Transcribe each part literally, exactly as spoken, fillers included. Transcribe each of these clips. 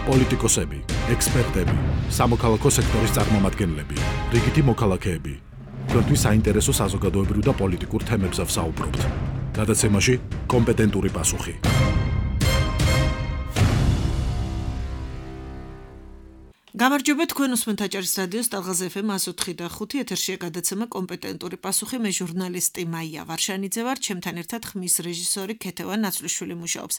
პოლიტიკოსები, ექსპერტები, სამოქალაქო სექტორის წარმომადგენლები, რიგითი მოქალაქეები. Თქვენთვის საინტერესო საზოგადოებრივ და პოლიტიკურ თემებზე ვსაუბრობთ. გადაცემაში კომპეტენტური პასუხი. გამარჯობა თქვენ უსმენთ აჭარის რადიოს ტალღაზ ეფ ემ one oh three point five ეთერშია გადაცემა კომპეტენტური პასუხი მე ჟურნალისტი მაია ვარშანიძე ვარ ჩემთან ერთად ხმის რეჟისორი ქეთევან ნაცვლიშვილი მუშაობს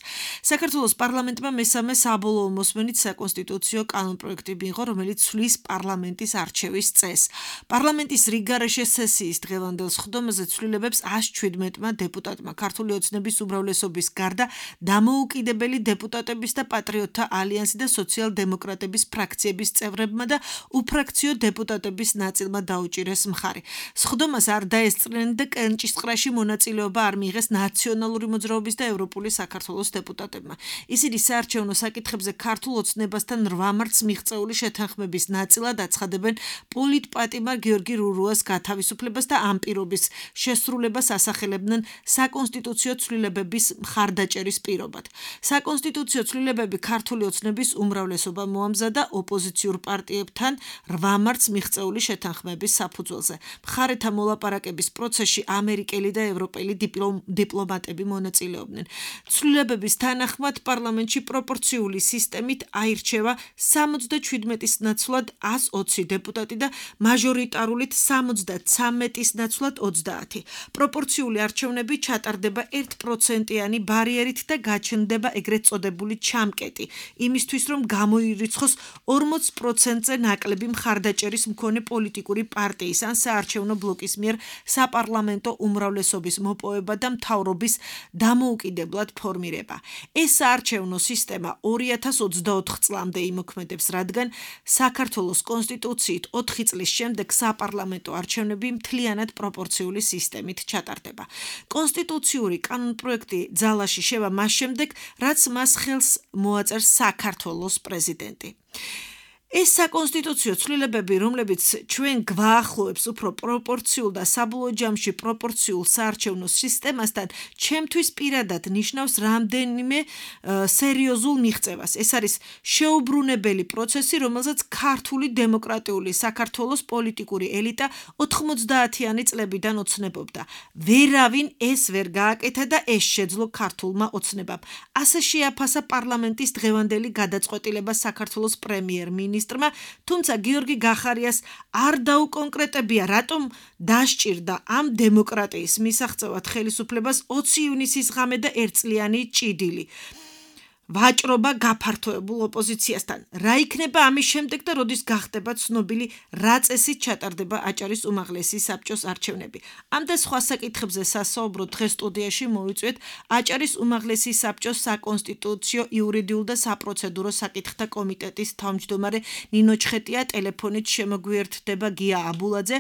საქართველოს პარლამენტმა მესამე საბოლოო მოსმენით საკონსტიტუციო კანონპროექტი მიიღო რომელიც ცვლის პარლამენტის არჩევის წესს პარლამენტის რიგგარეშე სესიის დღევანდელ სხდომაზე ცვლილებებს one hundred seventeen დეპუტატმა ქართული ოცნების უმრავლესობის გარდა დამოუკიდებელი დეპუტატების და პატრიოტთა ალიანსი და სოციალ-დემოკრატების ფრაქციების წევრებმა და უფრაქციო დეპუტატების ნაწილმა დაუჭირეს მხარი. სხდომას არ დაესწრნენ და კენჭისყრაში მონაწილეობა არ მიიღეს ნაციონალური მოძრაობის და ევროპული საქართველოს დეპუტატებმა. ისინი საარჩევნო საკითხებზე ქართულ ოცნებასთან რვა მარტს მიღწეული შეთანხმების ნაწილად აცხადებენ პოლიტპატიმარ გიორგი რურუას გათავისუფლებას და ამ პირობის შესრულებას ასახელებდნენ საკონსტიტუციო ცვლილებების მხარდაჭერის პირობად. საკონსტიტუციო ცვლილებები ქართული ოცნების უმრავლესობა მოამზადა ოპოზიციურ პარტიებთან რვა მარტს მიღწეული შეთანხმების საფუძველზე. მხარეთა მოლაპარაკების პროცესში ამერიკელი და ევროპელი დიპლომატები მონაწილეობდნენ. ცვლილებების თანახმად პარლამენტში პროპორციული სისტემით აირჩევა სამოცდაჩვიდმეტის ნაცვლად one hundred twenty დეპუტატი და მაჟორიტარულით სამოცდათვრამეტის ნაცვლად ოცდაათი. პროპორციული არჩევნები ჩატარდება one პროცენტიანი ბარიერით და გაჩნდება ეგრეთ წოდებული ჩამკეტი იმისთვის რომ გამოირიცხოს forty პროცენტზე ნაკლები მხარდაჭერის მქონე პოლიტიკური პარტიის ან საარჩევნო ბლოკის მიერ საპარლამენტო უმრავლესობის მოპოვება და მთავრობის დამოუკიდებლად ფორმირება. ეს საარჩევნო სისტემა two thousand twenty-four წლამდე იმოქმედებს, რადგან საქართველოს კონსტიტუციით ოთხი წლის შემდეგ საპარლამენტო არჩევნები მთლიანად პროპორციული სისტემით ჩატარდება. კონსტიტუციური კანონპროექტი ძალაში შევა მას შემდეგ, რაც მას ხელს მოაწერს საქართველოს პრეზიდენტი. ეს საკონსტიტუციო ცვლილებები, რომლებიც ჩვენ გვაახლოებს უფრო პროპორციულ და საბოლოო ჯამში პროპორციულ საარჩევნო სისტემასთან, ჩემთვის პირადად ნიშნავს რამდენიმე სერიოზულ მიღწევას. ეს არის შეუბრუნებელი პროცესი, რომელზეც ქართული დემოკრატიული საქართველოს პოლიტიკური ელიტა ოცდაათიანი წლებიდან ოცნებობდა. ვერავინ ეს ვერ გააკეთა და ეს შეძლო ქართულმა ოცნებამ. ასე შეაფასა პარლამენტის დღევანდელი გადაწყვეტილება საქართველოს პრემიერ-მინისტრმა თუმცა გიორგი გახარიას არ დაუკონკრეტებია რატომ დასჭირდა ამ დემოკრატიის მისაღწევად ხელისუფლებას ოცი ივნისის ღამე და ერთწლიანი ჭიდილი. ვაჭრობა გაფართოებულ ოპოზიციასთან. რა იქნება ამის შემდეგ და როდის გახდება ცნობილი რა წესით ჩატარდება აჭარის უმაღლესი საბჭოს არჩევნები. ამ და სხვა საკითხებზე სასაუბრო დღეს სტუდიაში მოვიწვიეთ აჭარის უმაღლესი საბჭოს საკონსტიტუციო, იურიდიულ და საპროცედურო საკითხთა კომიტეტის თავმჯდომარე ნინო ჩხეტია, ტელეფონით შემოგვიერთდება გია აბულაძე,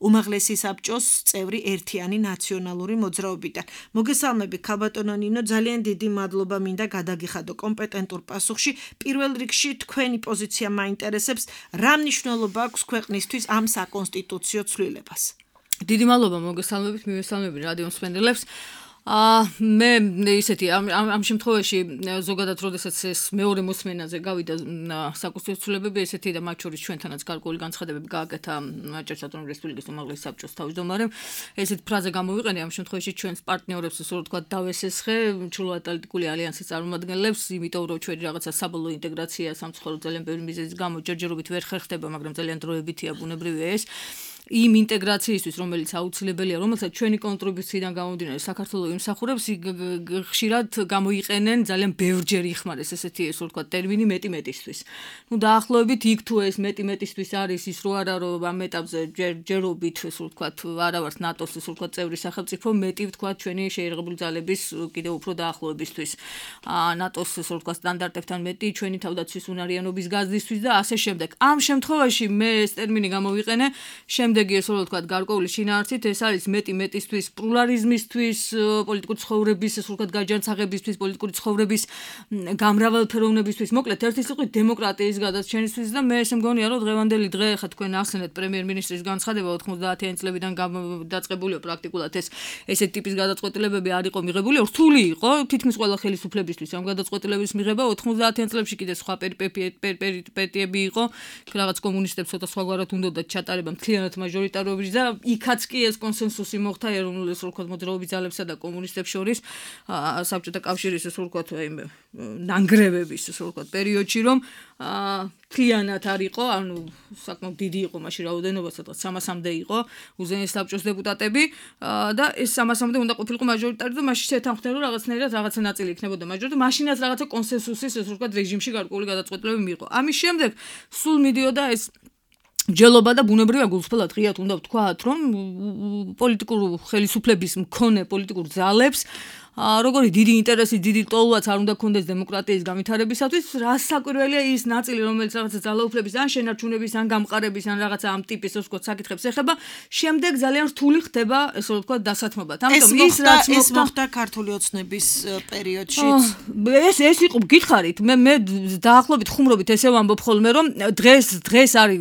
უმაღლესი საბჭოს წევრი ერთიანი ნაციონალური მოძრაობიდან. მოგესალმები ქალბატონო ნინო, ძალიან დიდი მადლობა მინდა გადაგიხადო კომპეტენტურ პასუხში. პირველ რიგში თქვენი პოზიცია მაინტერესებს, რა მნიშვნელობა აქვს ქვეყნისთვის ამ საკონსტიტუციო ცვლილებას. დიდი მადლობა მოგესალმებით, მივესალმები რადიო მსმენელებს. მე ისეთი ამ ამ შემთხვევაში ზოგადად როდესაც ეს მეორე მოსმენაზე გავიდა საკონსტიტუციო ცვლილებები ესეთი და მათ შორის ჩვენთანაც გარკვეული განცხადებები გააკეთა აჭარის ავტონომიური რესპუბლიკის უმაღლესი საბჭოს თავმჯდომარემ ესეთ ფრაზა გამოვიყენე ამ შემთხვევაში ჩვენს პარტნიორებს ისე რომ თქვა დავესესხე ჩრდილოატლანტიკური ალიანსის წარმომადგენლებს იმიტომ რომ ჩვენი რაღაცა საბოლოო ინტეგრაცია სამწუხაროდ ძალიან ბევრი მიზეზის გამო ჯერჯერობით ვერ ხერხდება მაგრამ ძალიან დროებითია ბუნებრივია ეს იმ ინტეგრაციისთვის, რომელიც აუცილებელია, რომელსაც ჩვენი კონტრიბუციიდან გამომდინარე საქართველოს იმსახურებს, ხშირად გამოიყენენ ძალიან ბევრჯერ იხმარეს ესეთი ესე რომ ვთქვა ტერმინი მეტი მეტისთვის. ნუ დაახლოებით იქ თუ ეს მეტი მეტისთვის არის ის რო არა რომ ამ ეტაპზე ჯერჯერობით ესე რომ ვთქვა არა ვართ ნატოს ესე რომ ვთქვა წევრი სახელმწიფო, მეტი ვთქვა ჩვენი შეიარაღებული ძალების კიდევ უფრო დაახლოებისთვის. ნატოს ესე რომ ვთქვა სტანდარტებთან მეტი ჩვენი თავდაცვის უნარიანობის გაზრდისთვის და ასე შემდეგ. ამ შემთხვევაში მე ეს ტერმინი გამოვიყენე, შემდეგ შემდეგი ესე რომ ვთქვათ გარკვეული შინაარსით ეს არის მეტი მეტისთვის პლურალიზმისთვის, პოლიტიკური ცხოვრების ესე ვთქვათ გაჯანსაღებისთვის, პოლიტიკური ცხოვრების გამრავალფეროვნებისთვის, მოკლედ ერთი სიტყვით დემოკრატიის გადაჩენისთვის და მე ესე მგონია რომ დღევანდელი დღე ხა თქვენ ახსენეთ პრემიერ-მინისტრის განცხადება ოცდაათიანი წლებიდან დაწყებულია პრაქტიკულად ეს ესეთი ტიპის გადაწყვეტილებები არ იყო მიღებული, რთული იყო თითქმის ყველა ხელისუფლებისთვის ამ გადაწყვეტილების მიღება ოცდაათიან წლებში კიდე სხვა პერიპეტიები იყო, რაღაც კომუნისტებს ცოტა სხვაგვარად უნდათ ჩატარება მთლიანად მაჟორიტარობის და იქაც კი ეს კონსენსუსი მოხდა ეროვნულ ეს ვთქვათ მოძრაობის ძალებსა და კომუნისტებს შორის საბჭოთა კავშირის ეს ვთქვათ აი ნანგრევების ეს ვთქვათ პერიოდში რომ მთლიანად არ იყო, ანუ საკმაოდ დიდი იყო მაშინ რაოდენობა, სადღაც სამასამდე იყო უზენაეს საბჭოს დეპუტატები და ეს სამასამდე უნდა ყოფილიყო მაჟორიტარი და მაშინ შეთანხმდნენ რომ რაღაცნაირად რაღაცა ნაწილი იქნებოდა მაჟორიტარი, მაშინაც რაღაცა კონსენსუსის ეს ვთქვათ რეჟიმში გარკვეული გადაწყვეტილებები მიიღო. ამის შემდეგ სულ მიდიოდა ეს ჯელობა და ბუნებრივია გულწრფელად ღიად უნდა ვთქვათ, რომ პოლიტიკურ ხელისუფლების მქონე პოლიტიკურ ძალებს როგორი დიდი ინტერესი, დიდი ტოლვაც არ უნდა ქონდეს დემოკრატიის განვითარებისათვის, რა საკვირველია ის ნაწილი, რომელიც რაღაცა ძალაუფლების ან შენარჩუნების, ან გამყარების, ან რაღაცა ამ ტიპის ასე ვთქვათ საკითხებს ეხება, შემდეგ ძალიან რთული ხდება, ესე ვთქვათ, დასათმობა. ამიტომ ის რაც ეს მოხდა ქართული ოცნების პერიოდში. ეს ეს იყო გითხარით, მე მე დაახლოებით ხუმრობით ესე ვამბობ ხოლმე, რომ დღეს დღეს არის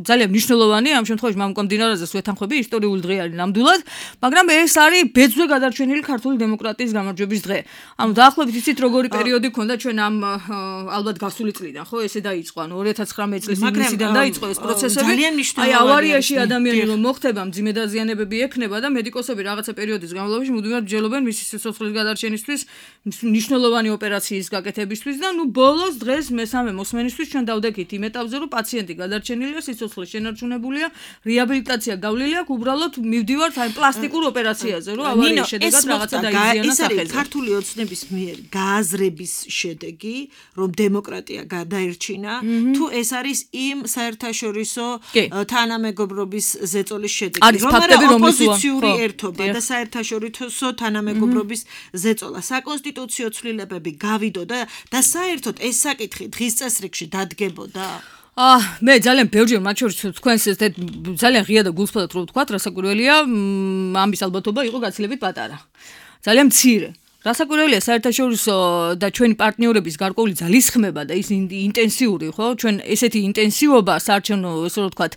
ძალიან მნიშვნელოვანი ამ შემთხვევაში მამუკამდინარაზე ვეთანხმები, ისტორიული დღე არის ნამდვილად, მაგრამ ეს არის ბეძვზე გადარჩენილი ქართული დემოკრატიის გამარჯვების დღე. ანუ დაახლოებით იცით როგორი პერიოდი ქონდა ჩვენ ამ ალბათ გასული წლიდან, ხო, ესე დაიწყო, ანუ ორი ათას ცხრამეტ წლის ივნისიდან დაიწყო ეს პროცესები. აი ავარიაში ადამიანი რომ მოხდება, მძიმე დაზიანებები ექნება და მედიკოსები რაღაცა პერიოდის განმავლობაში მუდმივად ჯელობენ მისი სიცოცხლის გადარჩენისთვის, მნიშვნელოვანი ოპერაციის გაკეთებისთვის და ნუ ბოლოს დღეს მესამე მოსმენისთვის ჩვენ დავდექით იმ ეტაპზე, რომ პაციენტი გადარჩენილია, სიცოცხლე შენარჩუნებულია, რეაბილიტაცია გავლილი აქვს, უბრალოდ მივდივართ აი პლასტიკურ ოპერაციაზე, რომ ავარიის შედეგად რაღაცა ეს არის ქართული ოცნების მიერ გააზრების შედეგი, რომ დემოკრატია გადაერჩინა, თუ ეს არის იმ საერთაშორისო თანამეგობრობის ზეწოლის შედეგი, რომ ოპოზიციური ერთობა და საერთაშორისო თანამეგობრობის ზეწოლა, საკონსტიტუციო ცვლილებები გავიდო და და საერთოდ ეს საკითხი დღის წესრიგში დადგებოდა. აა მე ძალიან ბევრჯერ მათ შორის თქვენს ეს ძალიან ღია და გულწრფელად რო ვთქვათ, რასაკვირველია, ამის ალბათობა იყო გაცილებით პატარა. ძალიან მცირე. რასაკვირველია საერთაშორისო და ჩვენი პარტნიორების გარკვეული ძალისხმება და ის ინტენსიური, ხო? ჩვენ ესეთი ინტენსივობა საარჩევნო, ესე რომ ვთქვათ,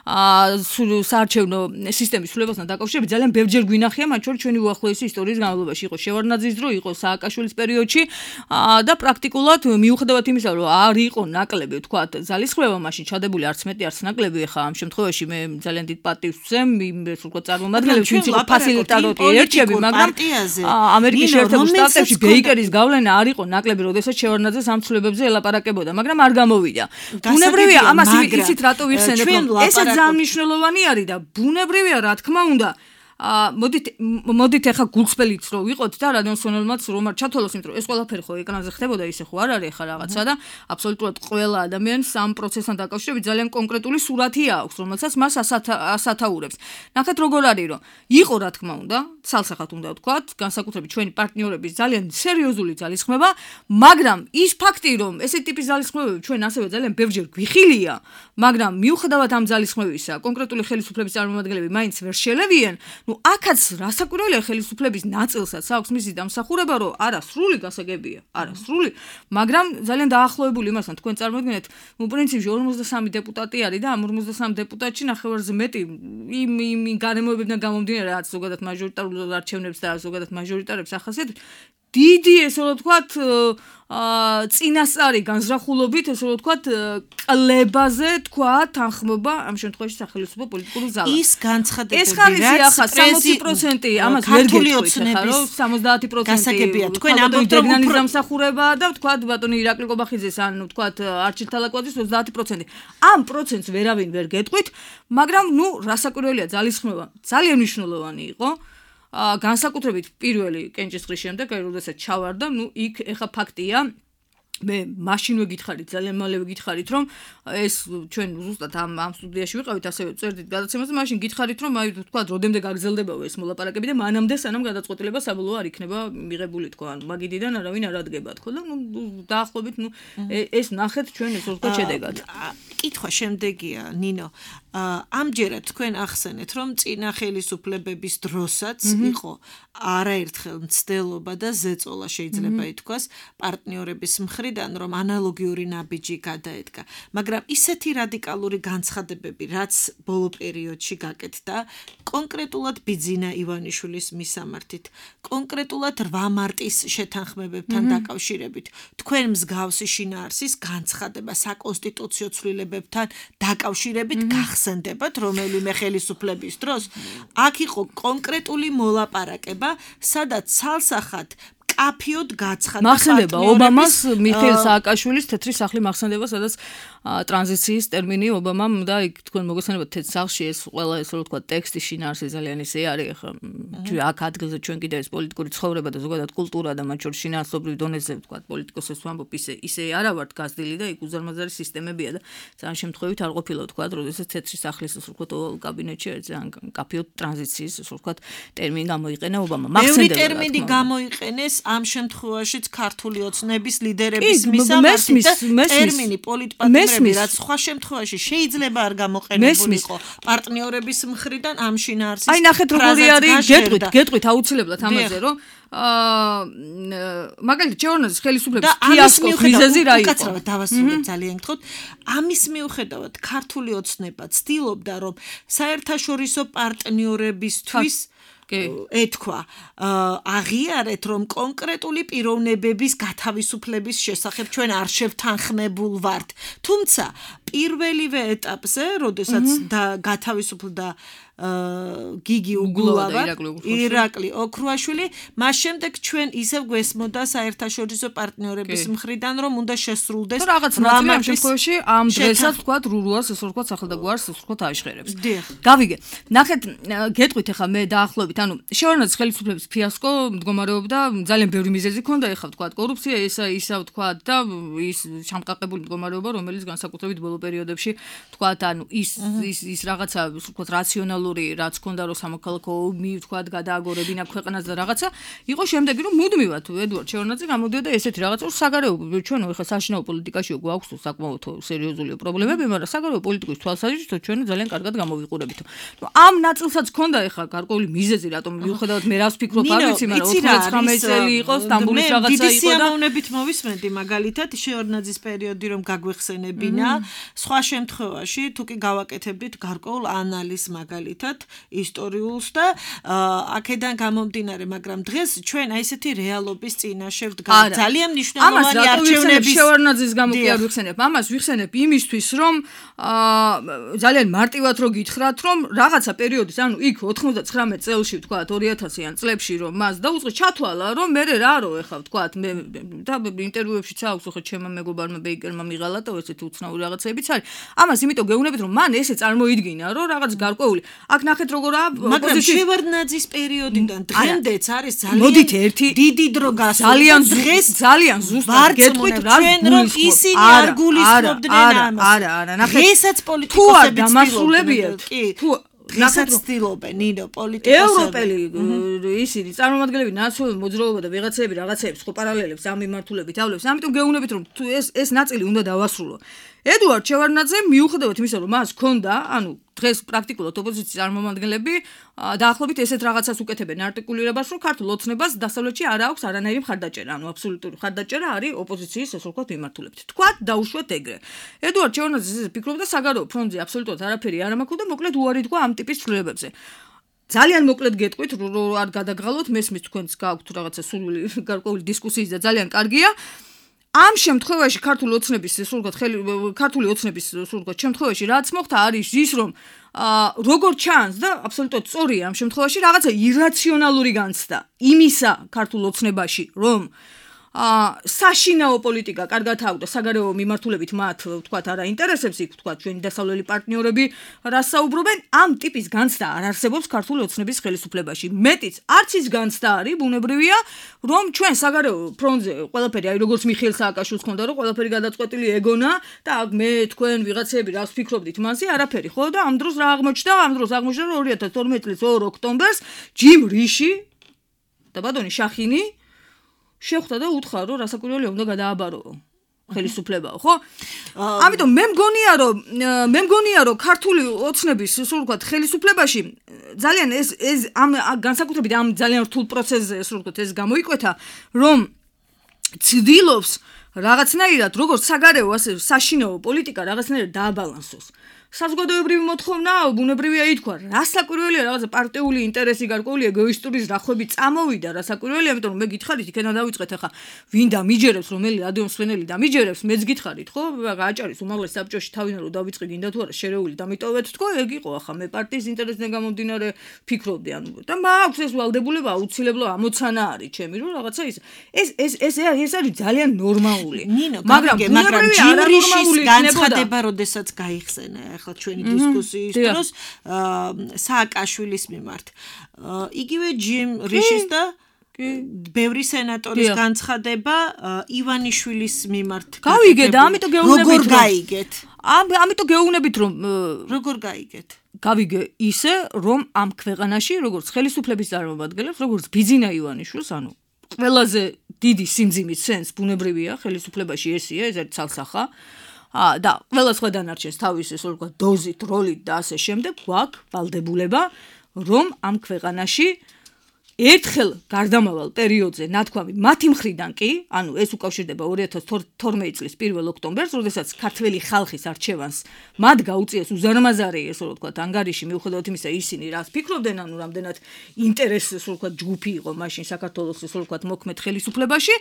აა საარჩევნო სისტემის სრულებასთან დაკავშირებით ძალიან ბევრჯერ გვინახია, მათ შორის ჩვენი უახლოესი ისტორიის განმავლობაში იყო შევარდნაძის დრო, იყო სააკაშვილის პერიოდში და პრაქტიკულად მიუხედავად იმისა, რომ არ იყო ნაკლები, ვთქვათ, ძალისხმება მაშინ ჩადებული არც მეტი, არც ნაკლები, ხა ამ შემთხვევაში მე ძალიან დიდ პატივს ვცემ, ეს ვთქვათ, წარმომადგენლებს, ვინც იყო ფასილიტატორი ერჩები, მაგრამ ამერიკის შეერთებულ შტატებში ბეიკერის გავლენა არ იყო ნაკლები, როდესაც შევარდნაძე ამ ცვლილებებზე ელაპარაკებოდა, მაგრამ არ გამოვიდა. ბუნებრივია, ამას იცით რატო ვიხსენებ, ესეც ძალიან მნიშვნელოვანი არის და ბუნებრივია, რა თქმა უნდა, აა მოდით მოდით ახლა გულწრფელიც რო ვიყოთ და რადიოსმენელმაც რომ არ ჩათვალოს, იმიტომ რომ ეს ყველაფერი ხო ეკრანზე ხდებოდა, ისე ხო არ არის ახლა რაღაცა და აბსოლუტურად ყველა ადამიანს ამ პროცესთან დაკავშირებით ძალიან კონკრეტული სურათი აქვს, რომელსაც მას ასათაურებს. ნახეთ როგორ არის, რომ იყო რა თქმა უნდა, ცალსახად უნდა ვთქვათ, განსაკუთრებით ჩვენი პარტნიორების ძალიან სერიოზული ძალისხმება, მაგრამ ის ფაქტი, რომ ესეთი ტიპის ძალისხმებები ჩვენ ასევე ძალიან ბევრჯერ გვიხილია, მაგრამ მიუხედავად ამ ძალისხმებისა, კონკრეტული ხელისუფლების წარმომადგენლები მაინც ვერ შელებიან. ნუ აქაც რასაკვირველია ხელისუფლების ნაწილსაც აქვს მისი დამსახურება, რომ არა სრული გასაგებია, არა სრული, მაგრამ ძალიან დაახლოებული იმასთან თქვენ წარმოიდგინეთ, ნუ პრინციპში ორმოცდასამი დეპუტატი არის და ამ ორმოცდასამ დეპუტატში ნახევარზე მეტი იმ იმ გარემოებებიდან გამომდინარე, რაც ზოგადად მაჟორიტარულ არჩევნებს და ზოგადად მაჟორიტარებს ახასიათებს, დიდი ესე რომ ვთქვათ, აა წინასწარი განზრახულობით, ესე რომ ვთქვათ, კლებაზე თქვა თანხმობა ამ შემთხვევაში სახელმწიფო პოლიტიკური ძალა. ის განცხადებები, ეს ხარისხი ახლა სამოცი პროცენტი ამას ვერ გეტყვით ახლა, რომ სამოცდაათი პროცენტი გასაგებია. თქვენ ამბობთ, რომ უფრო დამსახურება და ვთქვათ, ბატონი ირაკლი ყობახიძეს ან ვთქვათ, არჩილ თალაკვაძის ოცდაათი პროცენტი. ამ პროცენტს ვერავინ ვერ გეტყვით, მაგრამ ნუ რასაკვირველია ძალისხმება ძალიან მნიშვნელოვანი იყო. აა განსაკუთრებით პირველი კენჭისყრის შემდეგ, აი როდესაც ჩავარდა, ნუ იქ ეხა ფაქტია, მე მაშინვე გითხარით, ძალიან მალევე გითხარით, რომ ეს ჩვენ ზუსტად ამ ამ სტუდიაში ვიყავით, ასევე წერდით გადაცემას და მაშინ გითხარით, რომ აი თქვა, როდემდე გაგრძელდებაო ეს მოლაპარაკები და მანამდე სანამ გადაწყვეტილება საბოლოო არ იქნება მიღებული, თქვა, ანუ მაგიდიდან არავინ არ ადგება, თქვა და ნუ დაახლოებით, ნუ ეს ნახეთ ჩვენ ეს ვთქვა შედეგად. კითხვა შემდეგია, ნინო. ამჯერად თქვენ ახსენეთ, რომ წინა ხელისუფლებების დროსაც იყო არაერთხელ მცდელობა და ზეწოლა შეიძლება ითქვას პარტნიორების მხრიდან, რომ ანალოგიური ნაბიჯი გადაედგა. მაგრამ ისეთი რადიკალური განცხადებები, რაც ბოლო პერიოდში გაკეთდა, კონკრეტულად ბიძინა ივანიშვილის მისამართით, კონკრეტულად რვა მარტის შეთანხმებებთან დაკავშირებით, თქვენ მსგავსი შინაარსის განცხადება საკონსტიტუციო ცვლილებებთან დაკავშირებით გახსენდებათ რომელიმე ხელისუფლების დროს, აქ იყო კონკრეტული მოლაპარაკება, სადაც ცალსახად კაფიოდ გაცხადა მახსენდება ობამას მიხეილ სააკაშვილის თეთრი სახლი მახსენდება, სადაც ტრანზიციის ტერმინი ობამამ და იქ თქვენ მოგესალმებათ თეთრ სახლში ეს ყველა ეს რო თქვა ტექსტი შინაარსი ძალიან ისე არის ხა აქ ადგილზე ჩვენ კიდე ეს პოლიტიკური ცხოვრება და ზოგადად კულტურა და მათ შორის შინაარსობრივ დონეზე თქვა პოლიტიკოსებს ვამბობ ისე ისე არა ვართ გაზრდილი და იქ უზარმაზარი სისტემებია და ძალიან შემთხვევით არ ყოფილა თქვა როდესაც თეთრი სახლის ეს რო თქვა კაბინეტში ძალიან კაფიოდ ტრანზიციის ეს რო თქვა ტერმინი გამოიყენა ობამა მახსენდება მეორე ტერმინი გამოიყენეს ამ შემთხვევაშიც ქართული ოცნების ლიდერების მისამართით და ტერმინი პოლიტპატიმრები რაც სხვა შემთხვევაში შეიძლება არ გამოყენებულიყო პარტნიორების მხრიდან ამ შინაარსის აი ნახეთ როგორი არის გეტყვით გეტყვით აუცილებლად ამაზე რომ აა მაგალითად ჩეორნაძის ხელისუფლების ფიასკოს მიზეზი რა იყო? უკაცრავად დავასრულებ ძალიან გთხოვთ. ამის მიუხედავად ქართული ოცნება ცდილობდა რომ საერთაშორისო პარტნიორებისთვის ეთქვა აღიარეთ რომ კონკრეტული პიროვნებების გათავისუფლების შესახებ ჩვენ არ შევთანხმებულ ვართ. თუმცა პირველივე ეტაპზე, როდესაც გათავისუფლდა გიგი უგულავა, ირაკლი ოქრუაშვილი, მას შემდეგ ჩვენ ისევ გვესმოდა საერთაშორისო პარტნიორების მხრიდან, რომ უნდა შესრულდეს რაღაც ნაწილი ამ შემთხვევაში ამ დღესაც თქვა რურუას ეს თქვა სახელდაგვარს ეს თქვა აიშხერებს. გავიგე. ნახეთ, გეტყვით ახლა მე დაახლოებით, ანუ შეორნაძის ხელისუფლების ფიასკო მდგომარეობდა ძალიან ბევრი მიზეზი ჰქონდა, ეხლა თქვა კორუფცია, ისა ისა თქვა და ის შამყაყებული მდგომარეობა, რომელიც განსაკუთრებით ბოლო პერიოდებში თქვა, ანუ ის ის ის რაღაცა თქვა რაციონალური რაც ქონდა რომ სამოქალაქო ომი თქვა გადააგორებინა ქვეყანას და რაღაცა იყო შემდეგი რომ მუდმივად ედვარდ შეორნაძე გამოდიოდა ესეთი რაღაცა საგარეო ჩვენო ეხლა საშინაო პოლიტიკაში გვაქვს საკმაოდ სერიოზული პრობლემები მაგრამ საგარეო პოლიტიკის თვალსაზრისით ჩვენ ძალიან კარგად გამოვიყურებით ამ ნაწილსაც ქონდა ეხლა გარკვეული მიზეზი რატომ მიუხედავად მე რას ვფიქრობ არ ვიცი მაგრამ ოცდათხამეტი წელი იყო სტამბოლის რაღაცა იყო და დიდი სიამოვნებით მოვისმენდი მაგალითად შეორნაძის პერიოდი რომ გაგვეხსენებინა სხვა შემთხვევაში თუ კი გავაკეთებდით გარკვეულ ანალიზს მაგალითად ისტორიულს და აქედან გამომდინარე, მაგრამ დღეს ჩვენ აი ესეთი რეალობის წინაშე ვდგართ. ძალიან მნიშვნელოვანი არჩევნების შეორნაძის გამო კი არ ვიხსენებ. ამას ვიხსენებ იმისთვის, რომ ძალიან მარტივად რო გითხრათ, რომ რაღაცა პერიოდის, ანუ იქ ოცდათვრამეტ წელში ვთქვათ ორი ათასიან წლებში რომ მას დაუწყე ჩათვალა, რომ მე რა რო ეხა ვთქვათ მე და ინტერვიუებშიც აქვს ხო ჩემმა მეგობარმა ბეიკერმა მიღალა და ესეთი უცნაური რაღაცებიც არის. ამას იმიტომ გეუბნებით, რომ მან ესე წარმოიდგინა, რომ რაღაც გარკვეული აქ ნახეთ როგორა ოპოზიციის შევარდნაძის პერიოდიდან დღემდეც არის ძალიან დიდი დრო გასული ძალიან დღეს ძალიან ზუსტად გეტყვით რა რომ ისინი არ გულისხმობდნენ ამას არა არა ნახეთ ესაც პოლიტიკოსები დამასრულებიათ თუ დღესაც ცდილობენ ნინო პოლიტიკოსები ევროპელი ისინი წარმომადგენლები ნაციონალური მოძრაობა და ვიღაცები რაღაცეებს ხო პარალელებს ამ მიმართულებით ავლებს ამიტომ გეუბნებით რომ თუ ეს ეს ნაწილი უნდა დავასრულო ედვარდ შევარდნაძე მიუხედავად იმისა რომ მას ჰქონდა ანუ დღეს პრაქტიკულად ოპოზიციის წარმომადგენლები დაახლოებით ესეთ რაღაცას უკეთებენ არტიკულირებას რომ ქართულ ოცნებას დასავლეთში არ აქვს არანაირი მხარდაჭერა ანუ აბსოლუტური მხარდაჭერა არის ოპოზიციის ესე ვთქვათ მიმართულებით თქვა დაუშვათ ეგრე ედვარდ შევარდნაძე ესე ფიქრობდა საგარეო ფრონტზე აბსოლუტურად არაფერი არ ამაქვს და მოკლედ უარი თქვა ამ ტიპის ცვლილებებზე ძალიან მოკლედ გეტყვით რომ არ გადაგღალოთ მესმის თქვენს გააქვთ რაღაცა სურვილი გარკვეული დისკუსიის და ძალიან კარგია ამ შემთხვევაში ქართული ოცნების სულგოთ ქართული ოცნების სულგოთ შემთხვევაში რაც მოხდა არის ის რომ როგორ ჩანს და აბსოლუტურად სწორია ამ შემთხვევაში რაღაცა ირაციონალური განცდა იმისა ქართულ ოცნებაში რომ აა საშინაო პოლიტიკა კარგად აქვს და საგარეო მიმართულებით მათ ვთქვათ არა ინტერესებს იქ ვთქვათ ჩვენი დასავლელი პარტნიორები რას საუბრობენ ამ ტიპის განცდა არ არსებობს ქართული ოცნების ხელისუფლებაში მეტიც არც ის განცდა არის ბუნებრივია რომ ჩვენ საგარეო ფრონტზე ყველაფერი აი როგორც მიხეილ სააკაშვილს ჰქონდა რომ ყველაფერი გადაწყვეტილი ეგონა და აქ მე თქვენ ვიღაცები რას ვფიქრობდით მასზე არაფერი ხო და ამ დროს რა აღმოჩნდა ამ დროს აღმოჩნდა რომ ორი ათას თორმეტი წლის ორ ოქტომბერს ჯიმ რიში და ბატონი შახინი შეხვდა და უთხრა რომ რასაკვირველია უნდა გადააბარო ხელისუფლებაა, ხო? ამიტომ მე მგონია, რომ მე მგონია, რომ ქართული ოცნების სულ ვთქვათ ხელისუფლებაში ძალიან ეს ეს ამ განსაკუთრებით ამ ძალიან რთულ პროცესზე სულ ვთქვათ ეს გამოიკვეთა, რომ ცდილობს რაღაცნაირად როგორც საგარეო, ასე საშინაო პოლიტიკა რაღაცნაირად დააბალანსოს. საზოგადოებრივი მოთხოვნა, ბუნებრივია ითქვა, რასაკვირველია რაღაცა პარტიული ინტერესი გარკვეული ეგოისტური ზრახვები წამოვიდა, რასაკვირველია, ამიტომ მე გითხარით, იქიდან დავიწყეთ ახლა, ვინ დამიჯერებს, რომელი რადიომსვენელი დამიჯერებს, მეც გითხარით, ხო? გააჭარის უმაღლეს საბჭოში თავიდან რომ დავიწყე გინდა თუ არა შერეული დამიტოვეთ თქო, ეგ იყო ახლა მე პარტიის ინტერესიდან გამომდინარე ფიქრობდი, ანუ და მაქვს ეს ვალდებულება აუცილებლო ამოცანა არის ჩემი, რომ რაღაცა ის ეს ეს ეს ეს არის ძალიან ნორმალური. მაგრამ მაგრამ ჯიმრიშის განცხადება, როდესაც გაიხსენა ახლა ჩვენი დისკუსიის დროს სააკაშვილის მიმართ. იგივე ჯიმ რიშის და ბევრი სენატორის განცხადება ივანიშვილის მიმართ. გავიგე და ამიტომ გეუბნებით როგორ გაიგეთ? ამიტომ გეუბნებით რომ როგორ გაიგეთ? გავიგე ისე რომ ამ ქვეყანაში როგორც ხელისუფლების წარმომადგენლებს, როგორც ბიძინა ივანიშვილს, ანუ ყველაზე დიდი სიმძიმის სენს ბუნებრივია ხელისუფლებაში ესია, ეს არის ცალსახა. ა და ყველა სხვა დანარჩენს თავის ესე ვთქვათ დოზით, როლით და ასე შემდეგ გვაქვს ვალდებულება, რომ ამ ქვეყანაში ერთხელ გარდამავალ პერიოდზე ნათქვამი მათი მხრიდან კი, ანუ ეს უკავშირდება ორი ათას თორმეტი წლის პირველ ოქტომბერს, როდესაც ქართველი ხალხის არჩევანს მათ გაუწიეს უზარმაზარი ესე ვთქვათ ანგარიში, მიუხედავად იმისა, ისინი რას ფიქრობდნენ, ანუ რამდენად ინტერესი ესე ვთქვათ ჯგუფი იყო მაშინ საქართველოს ესე ვთქვათ მოქმედ ხელისუფლებაში,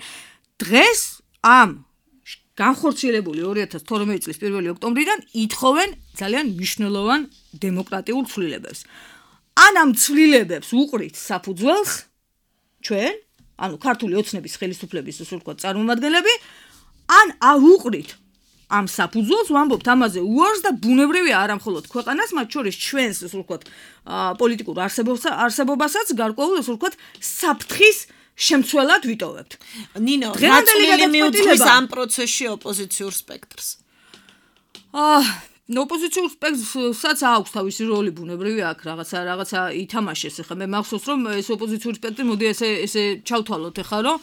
დღეს ამ განხორციელებული ორი ათას თორმეტი წლის პირველი ოქტომბრიდან ითხოვენ ძალიან მნიშვნელოვან დემოკრატიულ ცვლილებებს. ან ამ ცვლილებებს უყრით საფუძველს ჩვენ, ანუ ქართული ოცნების ხელისუფლების ისე ვთქვათ წარმომადგენლები, ან აუყრით ამ საფუძველს ვამბობთ ამაზე უარს და ბუნებრივია არა მხოლოდ ქვეყანას, მათ შორის ჩვენს ისე ვთქვათ პოლიტიკურ არსებობასაც გარკვეულ ისე ვთქვათ საფრთხის შემცველად ვიტოვებთ. ნინო, რა წვლილი მიუძღვის ამ პროცესში ოპოზიციურ სპექტრს? აა, ოპოზიციურ სპექტრსაც აქვს თავისი როლი ბუნებრივია აქ რაღაცა რაღაცა ითამაშეს. ახლა მე მახსოვს რომ ეს ოპოზიციური სპექტრი მოდი ესე ესე ჩავთვალოთ ახლა რომ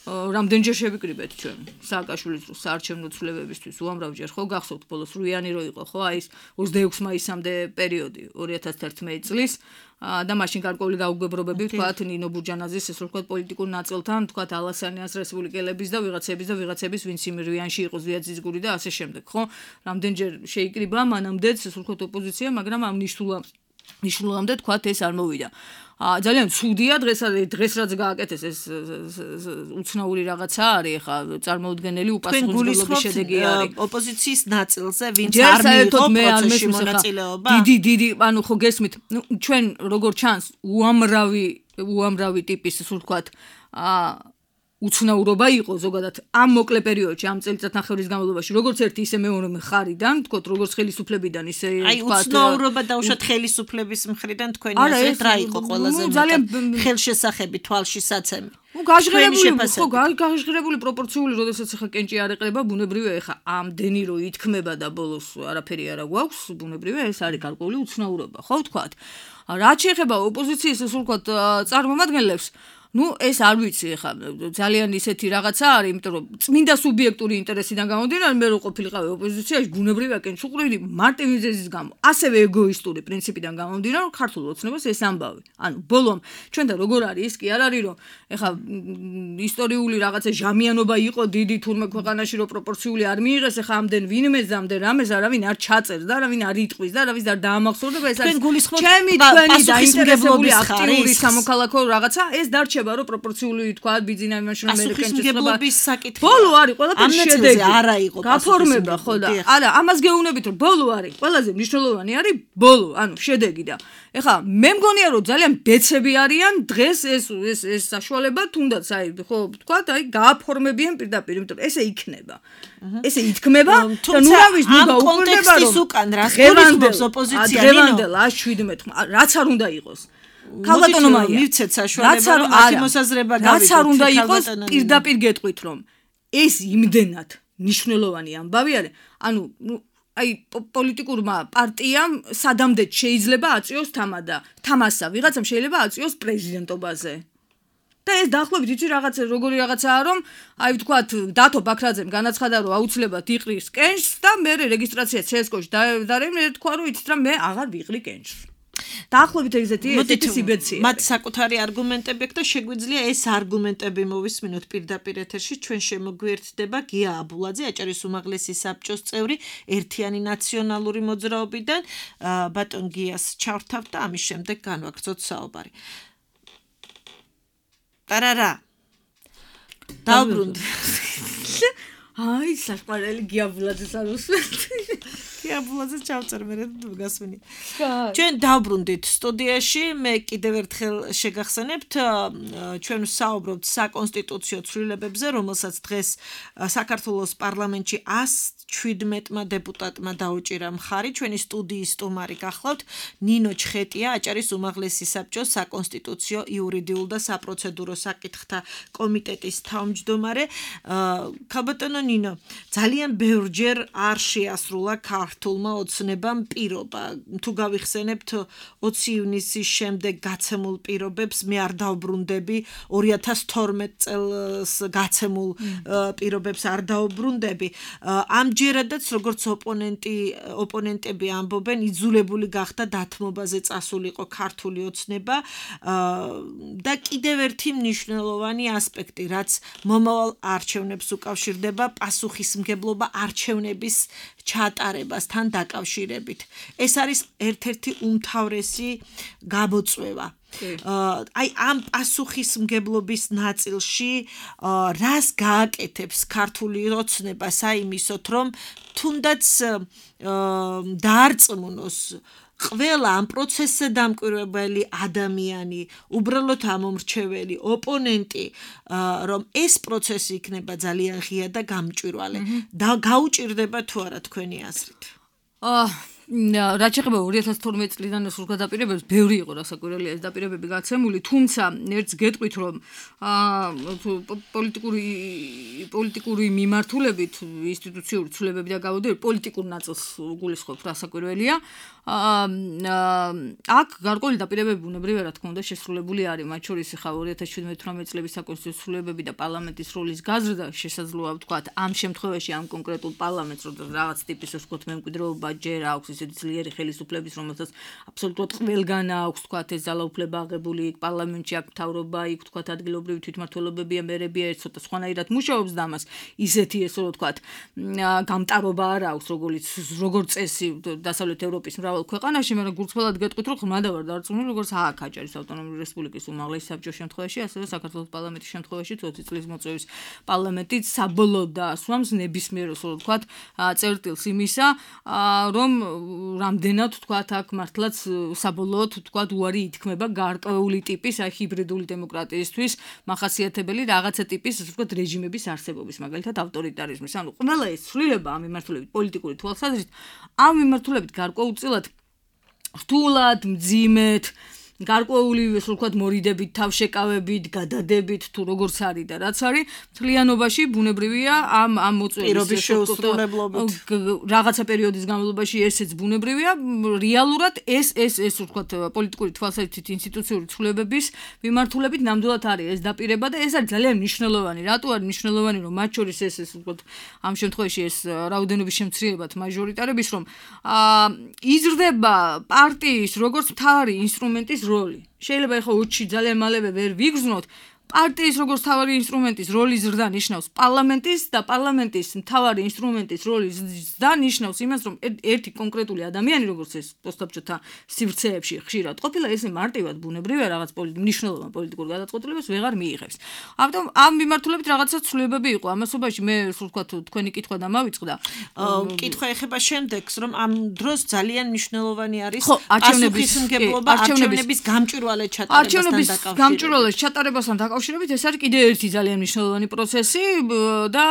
რამდენჯერ შევიკრიბეთ ჩვენ სააკაშვილის საარჩევნო ცვლილებებისთვის უამრავჯერ ხო გახსოვთ ბოლოს რუიანი რო იყო ხო აი ეს ოცდაექვსი მაისამდე პერიოდი ორი ათას თერთმეტი წლის და მაშინ გარკვეული გაუგებრობები ვთქვათ ნინო ბურჯანაძის ესე ვთქვათ პოლიტიკურ ნაწილთან ვთქვათ ალასანიას რესპუბლიკელების და ვიღაცების და ვიღაცების ვინც იმ რუიანში იყო ზვიაძისგური და ასე შემდეგ ხო რამდენჯერ შეიკრიბა მანამდეც ესე ვთქვათ ოპოზიცია მაგრამ ამ ნიშნულამდე ნიშნულამდე თქვათ ეს არ მოვიდა. აა ძალიან ცუდია დღეს დღეს რაც გააკეთეს ეს უცნაური რაღაცა არის ხა წარმოუდგენელი უპასუხისმგებლობის შედეგი არის ოპოზიციის ნაწილზე ვინც არ მიიღო პროცესში მონაწილეობა. დიდი დიდი ანუ ხო გესმით ჩვენ როგორ ჩანს უამრავი უამრავი ტიპის სულ ვთქვათ აა უცნაურობა იყო ზოგადად ამ მოკლე პერიოდში ამ წელიწადნახევრის განმავლობაში როგორც ერთი ისე მეორე მხარიდან თქო როგორც ხელისუფლებიდან ისე აი უცნაურობა დაუშვათ ხელისუფლების მხრიდან თქვენი აზრით რა იყო ყველაზე მეტად ხელშესახები თვალშისაცემი ну გაჟღერებული ხო გაჟღერებული პროპორციული როდესაც ახლა კენჭი არ ეყრება ბუნებრივია ახლა ამდენი რო ითქმება და ბოლოს არაფერი არა გვაქვს ბუნებრივია ეს არის გარკვეული უცნაურობა ხო ვთქვათ რაც შეეხება ოპოზიციის ასე ვთქვათ წარმომადგენლებს ну ეს არ ვიცი ხა ძალიან ისეთი რაღაცა არის იმიტომ რომ წმინდა სუბიექტური ინტერესიდან გამომდინარე მე რო ყოფილიყავი ოპოზიციაში ბუნებრივია კენჭუყრილი მარტივიზების გამო ასევე ეგოისტური პრინციპიდან გამომდინარე რომ ქართულ ოცნებას ეს ამბავი ანუ ბოლომ ჩვენ და როგორ არის ის კი არ არის რომ ეხა ისტორიული რაღაცა ჟამიანობა იყო დიდი თურმე ქვეყანაში რომ პროპორციული არ მიიღეს ეხა ამდენ ვინმეს ამდენ რამეს არავინ არ ჩაწერს და არავინ არ იტყვის და არავის არ დაამახსოვრდება ეს არის ჩემი თქვენი დაინტერესებული აქტიური სამოქალაქო რაღაცა ეს დარჩება რო პროპორციული თქვა ბიძინა იმაში რომ ამერიკენების საკითხი ბოლო არის ყველაფერი შედეგი არა იყო გაფორმება ხო და არა ამას გეუბნებით რომ ბოლო არის ყველაზე მნიშვნელოვანი არის ბოლო ანუ შედეგი და ეხლა მე მგონია რომ ძალიან ბეცები არიან დღეს ეს ეს ეს საშუალება თუნდაც აი ხო თქვა აი გააფორმებიან პირდაპირ იმიტომ ესე იქნება ესე ითქმება და ნუ რა ვიცი ნუ გაუკვირდება რომ უკან რას გულისხმობს ოპოზიცია ნინო დღევანდელ შვიდმეტ რაც არ უნდა იყოს ქალბატონო მაია მივცეთ საშუალება რომ მათი მოსაზრება გავიგოთ რაც არ უნდა იყოს პირდაპირ გეტყვით რომ ეს იმდენად მნიშვნელოვანი ამბავი არის ანუ აი პოლიტიკურმა პარტიამ სადამდე შეიძლება აწიოს თამადა თამასა ვიღაცამ შეიძლება აწიოს პრეზიდენტობაზე და ეს დაახლოებით იცი რაღაც როგორი რაღაცაა რომ აი ვთქვათ დათო ბაქრაძემ განაცხადა რომ აუცილებლად იყრის კენჭს და მე რეგისტრაცია ცესკოში დარემ თქვა რომ იცით რა მე აღარ ვიყრი კენჭს დაახლოებით ეგეთი ესეთი სიბეცია მათ საკუთარი არგუმენტები აქვს და შეგვიძლია ეს არგუმენტები მოვისმინოთ პირდაპირ ეთერში ჩვენ შემოგვიერთდება გია აბულაძე აჭარის უმაღლესი საბჭოს წევრი ერთიანი ნაციონალური მოძრაობიდან ბატონ გიას ჩავრთავთ და ამის შემდეგ განვაგრძოთ საუბარი ტარარა დაუბრუნდი აი საყვარელი გია აბულაძეს არ უსმენთ გია აბულაძეს ჩავწერ მე გასვენი ჩვენ დაუბრუნდით სტუდიაში მე კიდევ ერთხელ შეგახსენებთ ჩვენ საუბრობთ საკონსტიტუციო ცვლილებებზე რომელსაც დღეს საქართველოს პარლამენტში ას შვიდმეტმა დეპუტატმა დაუჭირა მხარი ჩვენი სტუდიის სტუმარი გახლავთ ნინო ჩხეტია აჭარის უმაღლესი საბჭოს საკონსტიტუციო იურიდიულ და საპროცედურო საკითხთა კომიტეტის თავმჯდომარე ქალბატონო ნინო ძალიან ბევრჯერ არ შეასრულა ქართულმა ოცნებამ პირობა თუ გავიხსენებთ ოცი ივნისის შემდეგ გაცემულ პირობებს მე არ დავბრუნდები ორი ათას თორმეტ წელს გაცემულ პირობებს არ დავბრუნდები ამჯერადაც როგორც ოპონენტი ოპონენტები ამბობენ იძულებული გახდა დათმობაზე წასულიყო ქართული ოცნება და კიდევ ერთი მნიშვნელოვანი ასპექტი რაც მომავალ არჩევნებს უკავშირდება პასუხისმგებლობა არჩევნების ჩატარებასთან დაკავშირებით ეს არის ერთ-ერთი უმთავრესი გამოწვევა აი ამ პასუხისმგებლობის ნაწილში რას გააკეთებს ქართული ოცნება საიმისოთ რომ თუნდაც დაარწმუნოს ყველა ამ პროცესზე დამკვირვებელი ადამიანი, უბრალოდ ამომრჩეველი, ოპონენტი, რომ ეს პროცესი იქნება ძალიან ღია და გამჭვირვალე და გაუჭირდება თუ არა თქვენი აზრით? აა რაც შეეხება ორი ათას თორმეტ წლიდან სულ გადაპირებებს, ბევრი იყო რასაკვირველია ეს დაპირებები გაცემული, თუმცა ერთს გეტყვით, რომ აა პოლიტიკური პოლიტიკური მიმართულებით ინსტიტუციური ცვლილებები და გამოდები პოლიტიკურ ნაწილს გულისხმობ რასაკვირველია. აქ გარკვეული დაპირებები ბუნებრივია რა თქმა უნდა შესრულებული არის, მათ შორის ხა ორი ათას შვიდმეტ-თვრამეტ წლების საკონსტიტუციო ცვლილებები და პარლამენტის როლის გაზრდა შესაძლოა ვთქვათ ამ შემთხვევაში ამ კონკრეტულ პარლამენტს რომ რაღაც ტიპის ვთქვათ მემკვიდრეობა ჯერ აქვს ისეთი ძლიერი ხელისუფლების რომელსაც აბსოლუტურად ყველგან აქვს ვთქვათ ეს ძალაუფლება აღებული იქ პარლამენტში აქ მთავრობა იქ ვთქვათ ადგილობრივი თვითმმართველობებია მერებია ეს ცოტა სხვანაირად მუშაობს და ამას ისეთი ესე რომ ვთქვათ გამტარობა არ აქვს როგორც როგორც წესი დასავლეთ ევროპის მრავალ ქვეყანაში, მაგრამ გულწრფელად გეტყვით, რომ ხმადა ვარ დარწმუნებული, როგორც აქ აჭარის ავტონომიური რესპუბლიკის უმაღლესი საბჭოს შემთხვევაში, ასევე საქართველოს პარლამენტის შემთხვევაში, ოცი წლის მოწვევის პარლამენტით საბოლოოდ დაასვამს ნებისმიერ, ასე ვთქვათ, წერტილს იმისა, რომ რამდენად ვთქვათ, აქ მართლაც საბოლოოდ ვთქვათ, უარი ითქმება გარკვეული ტიპის, აი ჰიბრიდული დემოკრატიისთვის მახასიათებელი რაღაცა ტიპის, ასე ვთქვათ, რეჟიმების არსებობის, მაგალითად ავტორიტარიზმის. ანუ ყველა ეს ცვლილება ამ მიმართულებით პოლიტიკური თვალსაზრისით, ამ მიმართულებით გარკვეულწილად რთულად, მძიმედ, გარკვეული ესე ვთქვათ მორიდებით, თავშეკავებით, გადადებით თუ როგორც არის და რაც არის, მთლიანობაში ბუნებრივია ამ ამ მოწვევის შეუსრულებლობით რაღაცა პერიოდის განმავლობაში ესეც ბუნებრივია, რეალურად ეს ეს ეს ვთქვათ პოლიტიკური თვალსაზრისით ინსტიტუციური ცვლილებების მიმართულებით ნამდვილად არის ეს დაპირება და ეს არის ძალიან მნიშვნელოვანი. რატო არის მნიშვნელოვანი, რომ მათ შორის ეს ეს ვთქვათ ამ შემთხვევაში ეს რაოდენობის შემცირებად მაჟორიტარების რომ იზრდება პარტიის როგორც მთავარი ინსტრუმენტის როლი. შეიძლება ეხლა ოცი ძალიან მალევე ვერ ვიგრძნოთ პარტიის როგორც მთავარი ინსტრუმენტის როლი ზრდა ნიშნავს პარლამენტის და პარლამენტის მთავარი ინსტრუმენტის როლი ზრდა ნიშნავს იმას რომ ერთი კონკრეტული ადამიანი როგორც ეს პოსტაბჭოთა სივრცეებში ხშირად ყოფილა ესე მარტივად ბუნებრივია რაღაც მნიშვნელოვან პოლიტიკურ გადაწყვეტილებას ვეღარ მიიღებს. ამიტომ ამ მიმართულებით რაღაცა ცვლილებები იყო ამასობაში მე სულ ვთქვათ თქვენი კითხვა დამავიწყდა. კითხვა ეხება შემდეგს რომ ამ დროს ძალიან მნიშვნელოვანი არის პასუხისმგებლობა არჩევნების გამჭვირვალე ჩატარებასთან დაკავშირებით. გამჭვირვალე ჩატარებასთან დაკავშირებით ეს არის კიდე ერთი ძალიან მნიშვნელოვანი პროცესი და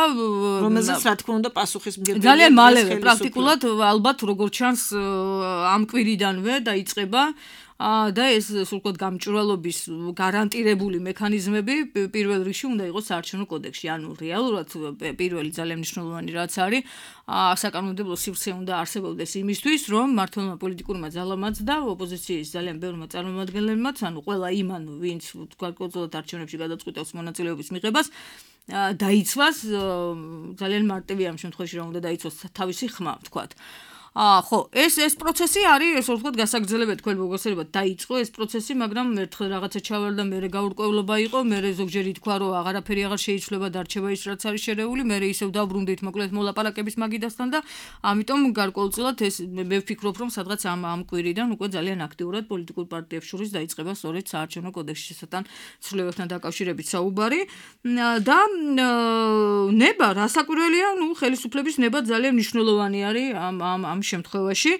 რომელზეც რა თქმა უნდა პასუხისმგებლობა ძალიან მალევე პრაქტიკულად ალბათ როგორც ჩანს ამ კვირიდანვე დაიწყება და ეს სულ ვთქვათ გამჭვირვალობის გარანტირებული მექანიზმები პირველ რიგში უნდა იყოს საარჩევნო კოდექსში. ანუ რეალურად პირველი ძალიან მნიშვნელოვანი რაც არის, საკანონმდებლო სივრცე უნდა არსებობდეს იმისთვის, რომ მმართველმა პოლიტიკურმა ძალამაც და ოპოზიციის ძალიან ბევრმა წარმომადგენლებმაც, ანუ ყველა იმან, ვინც გარკვეულწილად არჩევნებში გადაწყვეტავს მონაწილეობის მიღებას, დაიცვას ძალიან მარტივი ამ შემთხვევაში რა უნდა დაიცვას თავისი ხმა, ვთქვათ. აა ხო, ეს ეს პროცესი არის, ეს ვთქვათ, გასაგრძელებელი თქვენ მოგესწრებათ, დაიწყო ეს პროცესი, მაგრამ ერთხელ რაღაცა ჩავარდა, მერე გაურკვევლობა იყო, მერე ზოგჯერ ითქვა, რომ აღარაფერი აღარ შეიცვლება, დარჩება ის, რაც არის შერეული, მერე ისევ დაბრუნდით მოკლედ მოლაპარაკების მაგიდასთან და ამიტომ გარკვეულწილად ეს მე ვფიქრობ, რომ სადღაც ამ ამ კვირიდან უკვე ძალიან აქტიურად პოლიტიკურ პარტიებს შორის დაიწყება სწორედ საარჩევნო კოდექსში შესატან ცვლილებებთან დაკავშირებით საუბარი და ნება, რასაკვირველია, ნუ ხელისუფლების ნება ძალიან მნიშვნელოვანი არის ამ ამ ამ შემთხვევაში.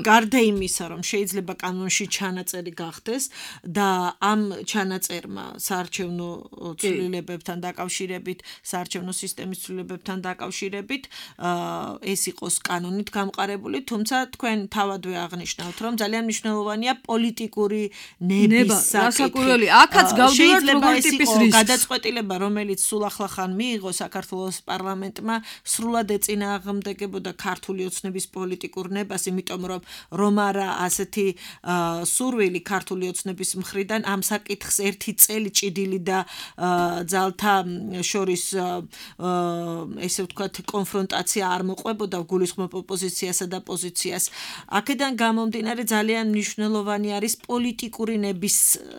გარდა იმისა, რომ შეიძლება კანონში ჩანაწერი გახდეს და ამ ჩანაწერმა საარჩევნო ცვლილებებთან დაკავშირებით, საარჩევნო სისტემის ცვლილებებთან დაკავშირებით ეს იყოს კანონით გამყარებული, თუმცა თქვენ თავადვე აღნიშნავთ, რომ ძალიან მნიშვნელოვანია პოლიტიკური ნების საკითხი. აქაც გავდივართ როგორი ტიპის რისკს. გადაწყვეტილება, რომელიც სულ ახლახან მიიღო საქართველოს პარლამენტმა, სრულად ეწინააღმდეგებოდა ქართული ოცნების პოლიტიკურ ნებას, იმიტომ რომ რომ არა ასეთი სურვილი ქართული ოცნების მხრიდან ამ საკითხს ერთი წელი ჭიდილი და ძალთა შორის ესე ვთქვათ კონფრონტაცია არ მოყვებოდა, გულისხმობ ოპოზიციასა და პოზიციას. აქედან გამომდინარე ძალიან მნიშვნელოვანი არის პოლიტიკური ნების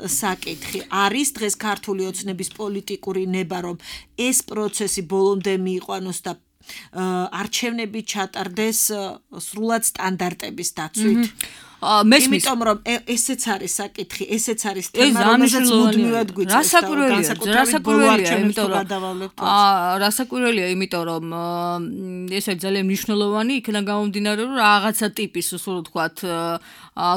საკითხი. არის დღეს ქართული ოცნების პოლიტიკური ნება, რომ ეს პროცესი ბოლომდე მიიყვანოს და არჩევნები ჩატარდეს სრულად სტანდარტების დაცვით. მესმის, იმიტომ რომ ესეც არის საკითხი, ესეც არის თემა, რომელსაც მუდმივად გვიწევს. რასაკვირველია, რასაკვირველია, იმიტომ რომ აა რასაკვირველია, იმიტომ რომ ეს არის ძალიან მნიშვნელოვანი, იქიდან გამომდინარე, რომ რაღაცა ტიპის, ასე ვთქვათ,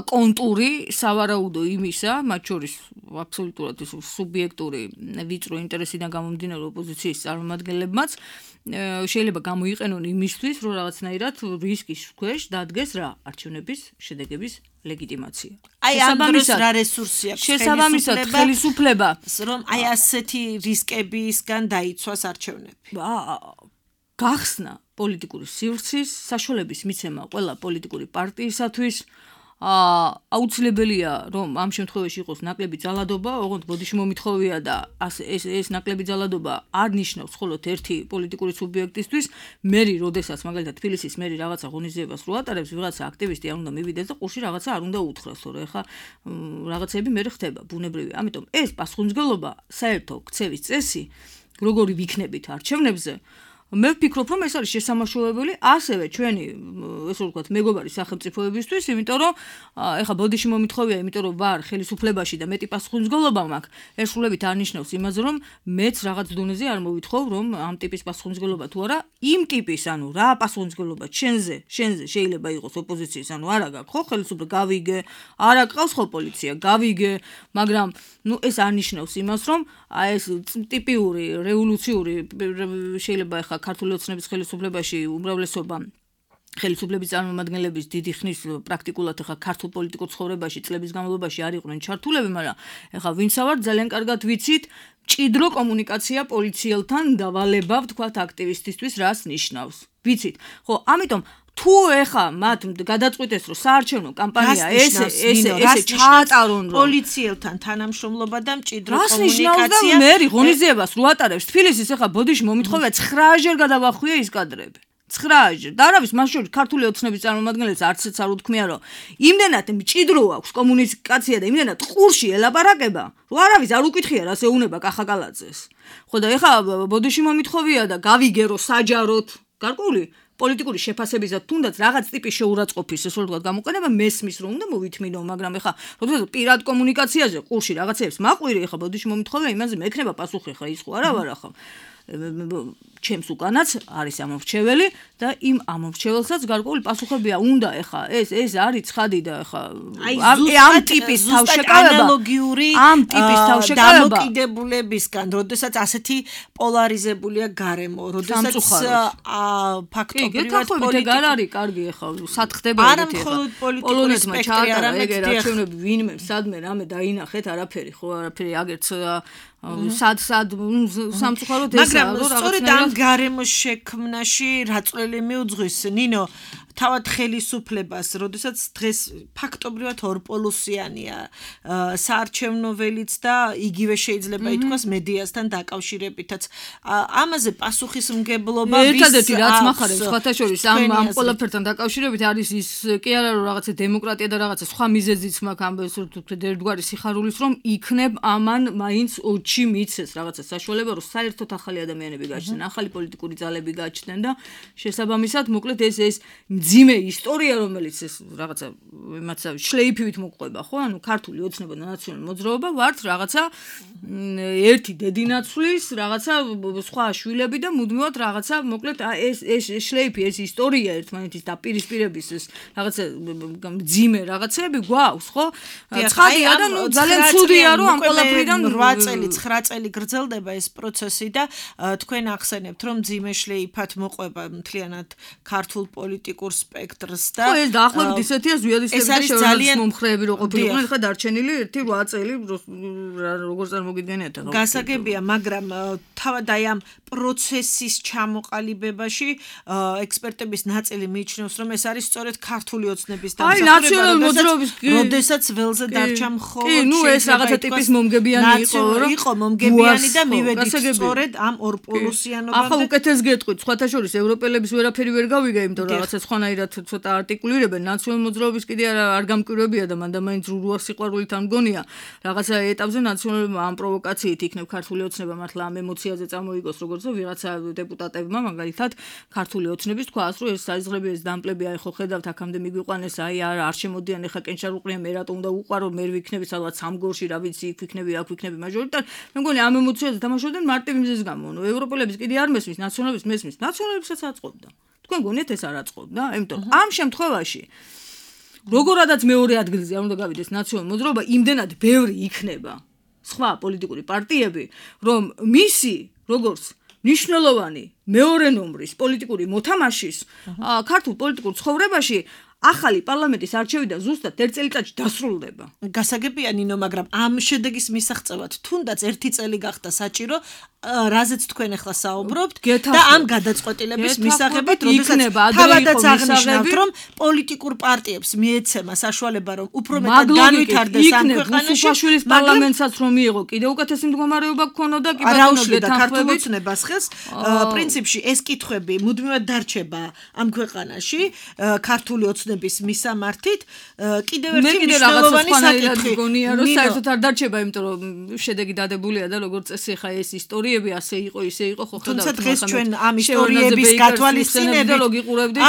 კონტური სავარაუდო იმისა, მათ შორის აბსოლუტურად ეს სუბიექტური ვიწრო ინტერესიდან გამომდინარე ოპოზიციის წარმომადგენლებმაც შეიძლება გამოიყენონ იმისთვის, რომ რაღაცნაირად რისკის ქვეშ დადგეს რა არჩევნების შედეგების ლეგიტიმაცია. აი ამ დროს რა რესურსი აქვს შესაბამისად ხელისუფლება, რომ აი ასეთი რისკებისგან დაიცვას არჩევნები. გახსნა პოლიტიკური სივრცის საშუალების მიცემა ყველა პოლიტიკური პარტიისათვის. აუცილებელია, რომ ამ შემთხვევაში იყოს ნაკლები ძალადობა, ოღონდ ბოდიში მომითხოვია და ეს ეს ნაკლები ძალადობა არ ნიშნავს მხოლოდ ერთი პოლიტიკური სუბიექტისთვის, მერი, როდესაც მაგალითად თბილისის მერი რაღაცა ღონისძიებას რო ატარებს, ვიღაცა აქტივისტი არ უნდა მივიდეს და ყურში რაღაცა არ უნდა უთხრას, თორე ხა რაღაცები მერე ხდება, ბუნებრივია. ამიტომ ეს პასუხისმგებლობა, საერთო ქცევის წესი, როგორი ვიქნებით არჩევნებზე, მე ვფიქრობ, რომ ეს არის შესამაშუალებელი ასევე ჩვენი, ესე ვთქვათ, მეგობარი სახელმწიფოებისთვის, იმიტომ რომ ეხა ბოდიში მომითხოვია, იმიტომ რომ ვარ ხელისუფლებაში და მეტი პასუხისმგებლობა მაქვს, ეს სრულებით არ ნიშნავს იმაზე, რომ მეც რაღაც დონეზე არ მოვითხოვ, რომ ამ ტიპის პასუხისმგებლობა თუ არა, იმ ტიპის, ანუ რა პასუხისმგებლობა შენზე, შენზე შეიძლება იყოს ოპოზიციის, ანუ არა გაქვს, ხო, ხელისუფლება გავიგე, არ აკყავს ხო პოლიცია, გავიგე, მაგრამ ნუ ეს არ ნიშნავს იმას, რომ აი ეს ტიპიური რევოლუციური შეიძლება ეხა ქართული ოცნების ხელისუფლებაში უმრავლესობა ხელისუფლების წარმომადგენლების დიდი ხნის პრაქტიკულად ეხა ქართულ პოლიტიკურ ცხოვრებაში წლების განმავლობაში არ იყვნენ ჩართულები, მაგრამ ეხა ვინც ვარ ძალიან კარგად ვიცით ჭიდრო კომუნიკაცია პოლიციელთან დავალება, ვთქვათ, აქტივისტისთვის რას ნიშნავს. ვიცით. ხო, ამიტომ თუ ეხა მათ გადაწყვეტეს, რომ საარჩევნო კამპანია ესე ესე ესე ჩაატარონ პოლიციელთან თანამშრომლობა და მჭიდრო კომუნიკაცია, მე ღონისძიებას რო ატარებს თბილისის ეხა ბოდიში მომითხოვია ცხრაჯერ გადავახვია ის კადრები. ცხრაჯერ. და არავის მას შორის ქართული ოცნების წარმომადგენლებს არცეც არ უთქმია, რომ იმდენად მჭიდრო აქვს კომუნიკაცია და იმდენად ყურში ელაპარაკება, რომ არავის არ უკითხია რას ეუნება კახაკალაძეს. ხო და ეხა ბოდიში მომითხოვია და გავიგე, რომ საჯაროდ გარკვეული პოლიტიკური შეფასებისა თუნდაც რაღაც ტიპის შეურაცხყოფის ესე ვთქვათ გამოყენება მესმის რომ უნდა მოვითმინო, მაგრამ ეხა როდესაც პირად კომუნიკაციაზე ყურში რაღაცებს მაყვირი, ეხა ბოდიში მომითხოვია იმაზე მექნება პასუხი, ხა ის ხო არა ვარ ახლა. ჩემს უკანაც არის ამორჩეველი და იმ ამორჩეველსაც გარკვეული პასუხებია უნდა ეხა ეს ეს არის ცხადი და ეხა ამ ტიპის თავშეკავება ანალოგიური ამ ტიპის თავშეკავება დამოკიდებულებისგან, როდესაც ასეთი პოლარიზებულია გარემო, როდესაც ფაქტობრივად პოლიტიკა არ არის კარგი ეხა სათხდება ეგეთი ეხა პოლონეთმა ჩაატარა ეგერ არჩევნები ვინმე სადმე რამე დაინახეთ არაფერი ხო არაფერი აგერც სად სად სამწუხაროდ ეს მაგრამ სწორედ ამ გარემოს შექმნაში რა წვლილი მიუძღვის ნინო თავად ხელისუფლებას, როდესაც დღეს ფაქტობრივად ორპოლუსიანია საარჩევნო ველიც და იგივე შეიძლება ითქვას მედიასთან დაკავშირებითაც. ამაზე პასუხისმგებლობა ვის ერთადერთი რაც მახარებს სხვათა შორის ამ ამ ყველაფერთან დაკავშირებით არის ის კი არა რომ რაღაცა დემოკრატია და რაღაცა სხვა მიზეზიც მაქვს ამბობს ერთგვარი სიხარულის რომ იქნებ ამან მაინც ოჩი მიცეს რაღაცა საშუალება რომ საერთოდ ახალი ადამიანები გაჩნდნენ, ახალი პოლიტიკური ძალები გაჩნდნენ და შესაბამისად მოკლედ ეს ეს ძიმე ისტორია რომელიც ეს რაღაცა იმაცა შლეიფივით მოყვება ხო ანუ ქართული ოცნება და ნაციონალური მოძრაობა ვართ რაღაცა ერთი დედინაცვლის რაღაცა სხვა შვილები და მუდმივად რაღაცა მოკლედ ეს ეს შლეიფი ეს ისტორია ერთმანეთის დაპირისპირების ეს რაღაცა ძიმე რაღაცები გვაქვს ხო ცხადია და ნუ ძალიან ცუდია რომ ამ ყველაფრიდან რვა წელი ცხრა წელი გრძელდება ეს პროცესი და თქვენ ახსენებთ რომ ძიმე შლეიფად მოყვება მთლიანად ქართულ პოლიტიკურ სპექტრს და ხო ეს დაახლოებით ისეთია ზვიადისები და შეურაცხმო მომხრეები რო ყოფილიყვნენ ხა დარჩენილი ერთი რვა წელი როგორ წარმოგიდგენიათ ახლა გასაგებია მაგრამ თავად აი ამ პროცესის ჩამოყალიბებაში ექსპერტების ნაწილი მიიჩნევს რომ ეს არის სწორედ ქართული ოცნების დამსახურება როდესაც ველზე დარჩა მხოლოდ კი ნუ ეს რაღაცა ტიპის მომგებიანი იყო რომ იყო მომგებიანი და მივედით სწორედ ამ ორპოლუსიანობამდე ახლა უკეთეს გეტყვით სხვათა შორის ევროპელების ვერაფერი ვერ გავიგე იმიტომ რომ რაღაცა სხვანაირად ცოტა არტიკულირებენ ნაციონალური მოძრაობის კიდე არ გამკვირვებია და მანდ მაინც რუა სიყვარულით ამ გონია რაღაცა ეტაპზე ნაციონალური ამ პროვოკაციით იქნებ ქართული ოცნება მართლა ამ ემოციაზე წამოიგოს როგორც ვიღაცა დეპუტატებმა მაგალითად ქართული ოცნების თქვას რომ ეს საიზღრები ეს დამპლები აი ხო ხედავთ აქამდე მიგვიყვანეს აი არ არ შემოდიან ეხა კენჭარ უყრია მე რატომ უნდა უყარო მე ვიქნები სადღაც სამგორში რა ვიცი იქ ვიქნები აქ ვიქნები მაჟორიტარ მე მგონი ამ ემოციაზე თამაშობდნენ მარტივ მიზეზს გამო ნუ ევროპელების კიდე არ მესმის ნაციონალების მესმის ნაციონალებსაც აწყობდა თქვენ გონიათ ეს არ აწყობდა იმიტომ ამ შემთხვევაში როგორადაც მეორე ადგილზე არ უნდა გავიდეს ნაციონალური მოძრაობა იმდენად ბევრი იქნება სხვა პოლიტიკური პარტიები რომ მისი როგორც ნიშნულოვანი მეორე ნომრის პოლიტიკური მოთამაშის ქართულ პოლიტიკურ ცხოვრებაში ახალი პარლამენტის არჩევიდან ზუსტად ერთ წელიწადში დასრულდება. გასაგებია ნინო, მაგრამ ამ შედეგის მისაღწევად თუნდაც ერთი წელი გახდა საჭირო, რაზეც თქვენ ახლა საუბრობთ და ამ გადაწყვეტილების მისაღებად, როდესაც თავადაც აღნიშნავთ, რომ პოლიტიკურ პარტიებს მიეცემა საშუალება, რომ უფრო მეტად განვითარდეს ამ ქვეყანაში, მუშაშვილის პარლამენტსაც რომ მიიღო, კიდე უკეთესი მდგომარეობა გქონოდა კი ბატონო გეთანხმებით ხმების პრინციპში ეს კითხვები მუდმივად დარჩება ამ ქვეყანაში, ქართული ოცნების მისამართით, კიდევ ერთი მნიშვნელოვანი საკითხი გონია, რომ საერთოდ არ დარჩება, იმიტომ რომ შედეგი დადებულია და როგორც წესი ხა ეს ისტორიები ასე იყო, ისე იყო, ხო ხედავთ. თუმცა დღეს ჩვენ ამ ისტორიების გათვალისწინებით ლოგიკურებდი,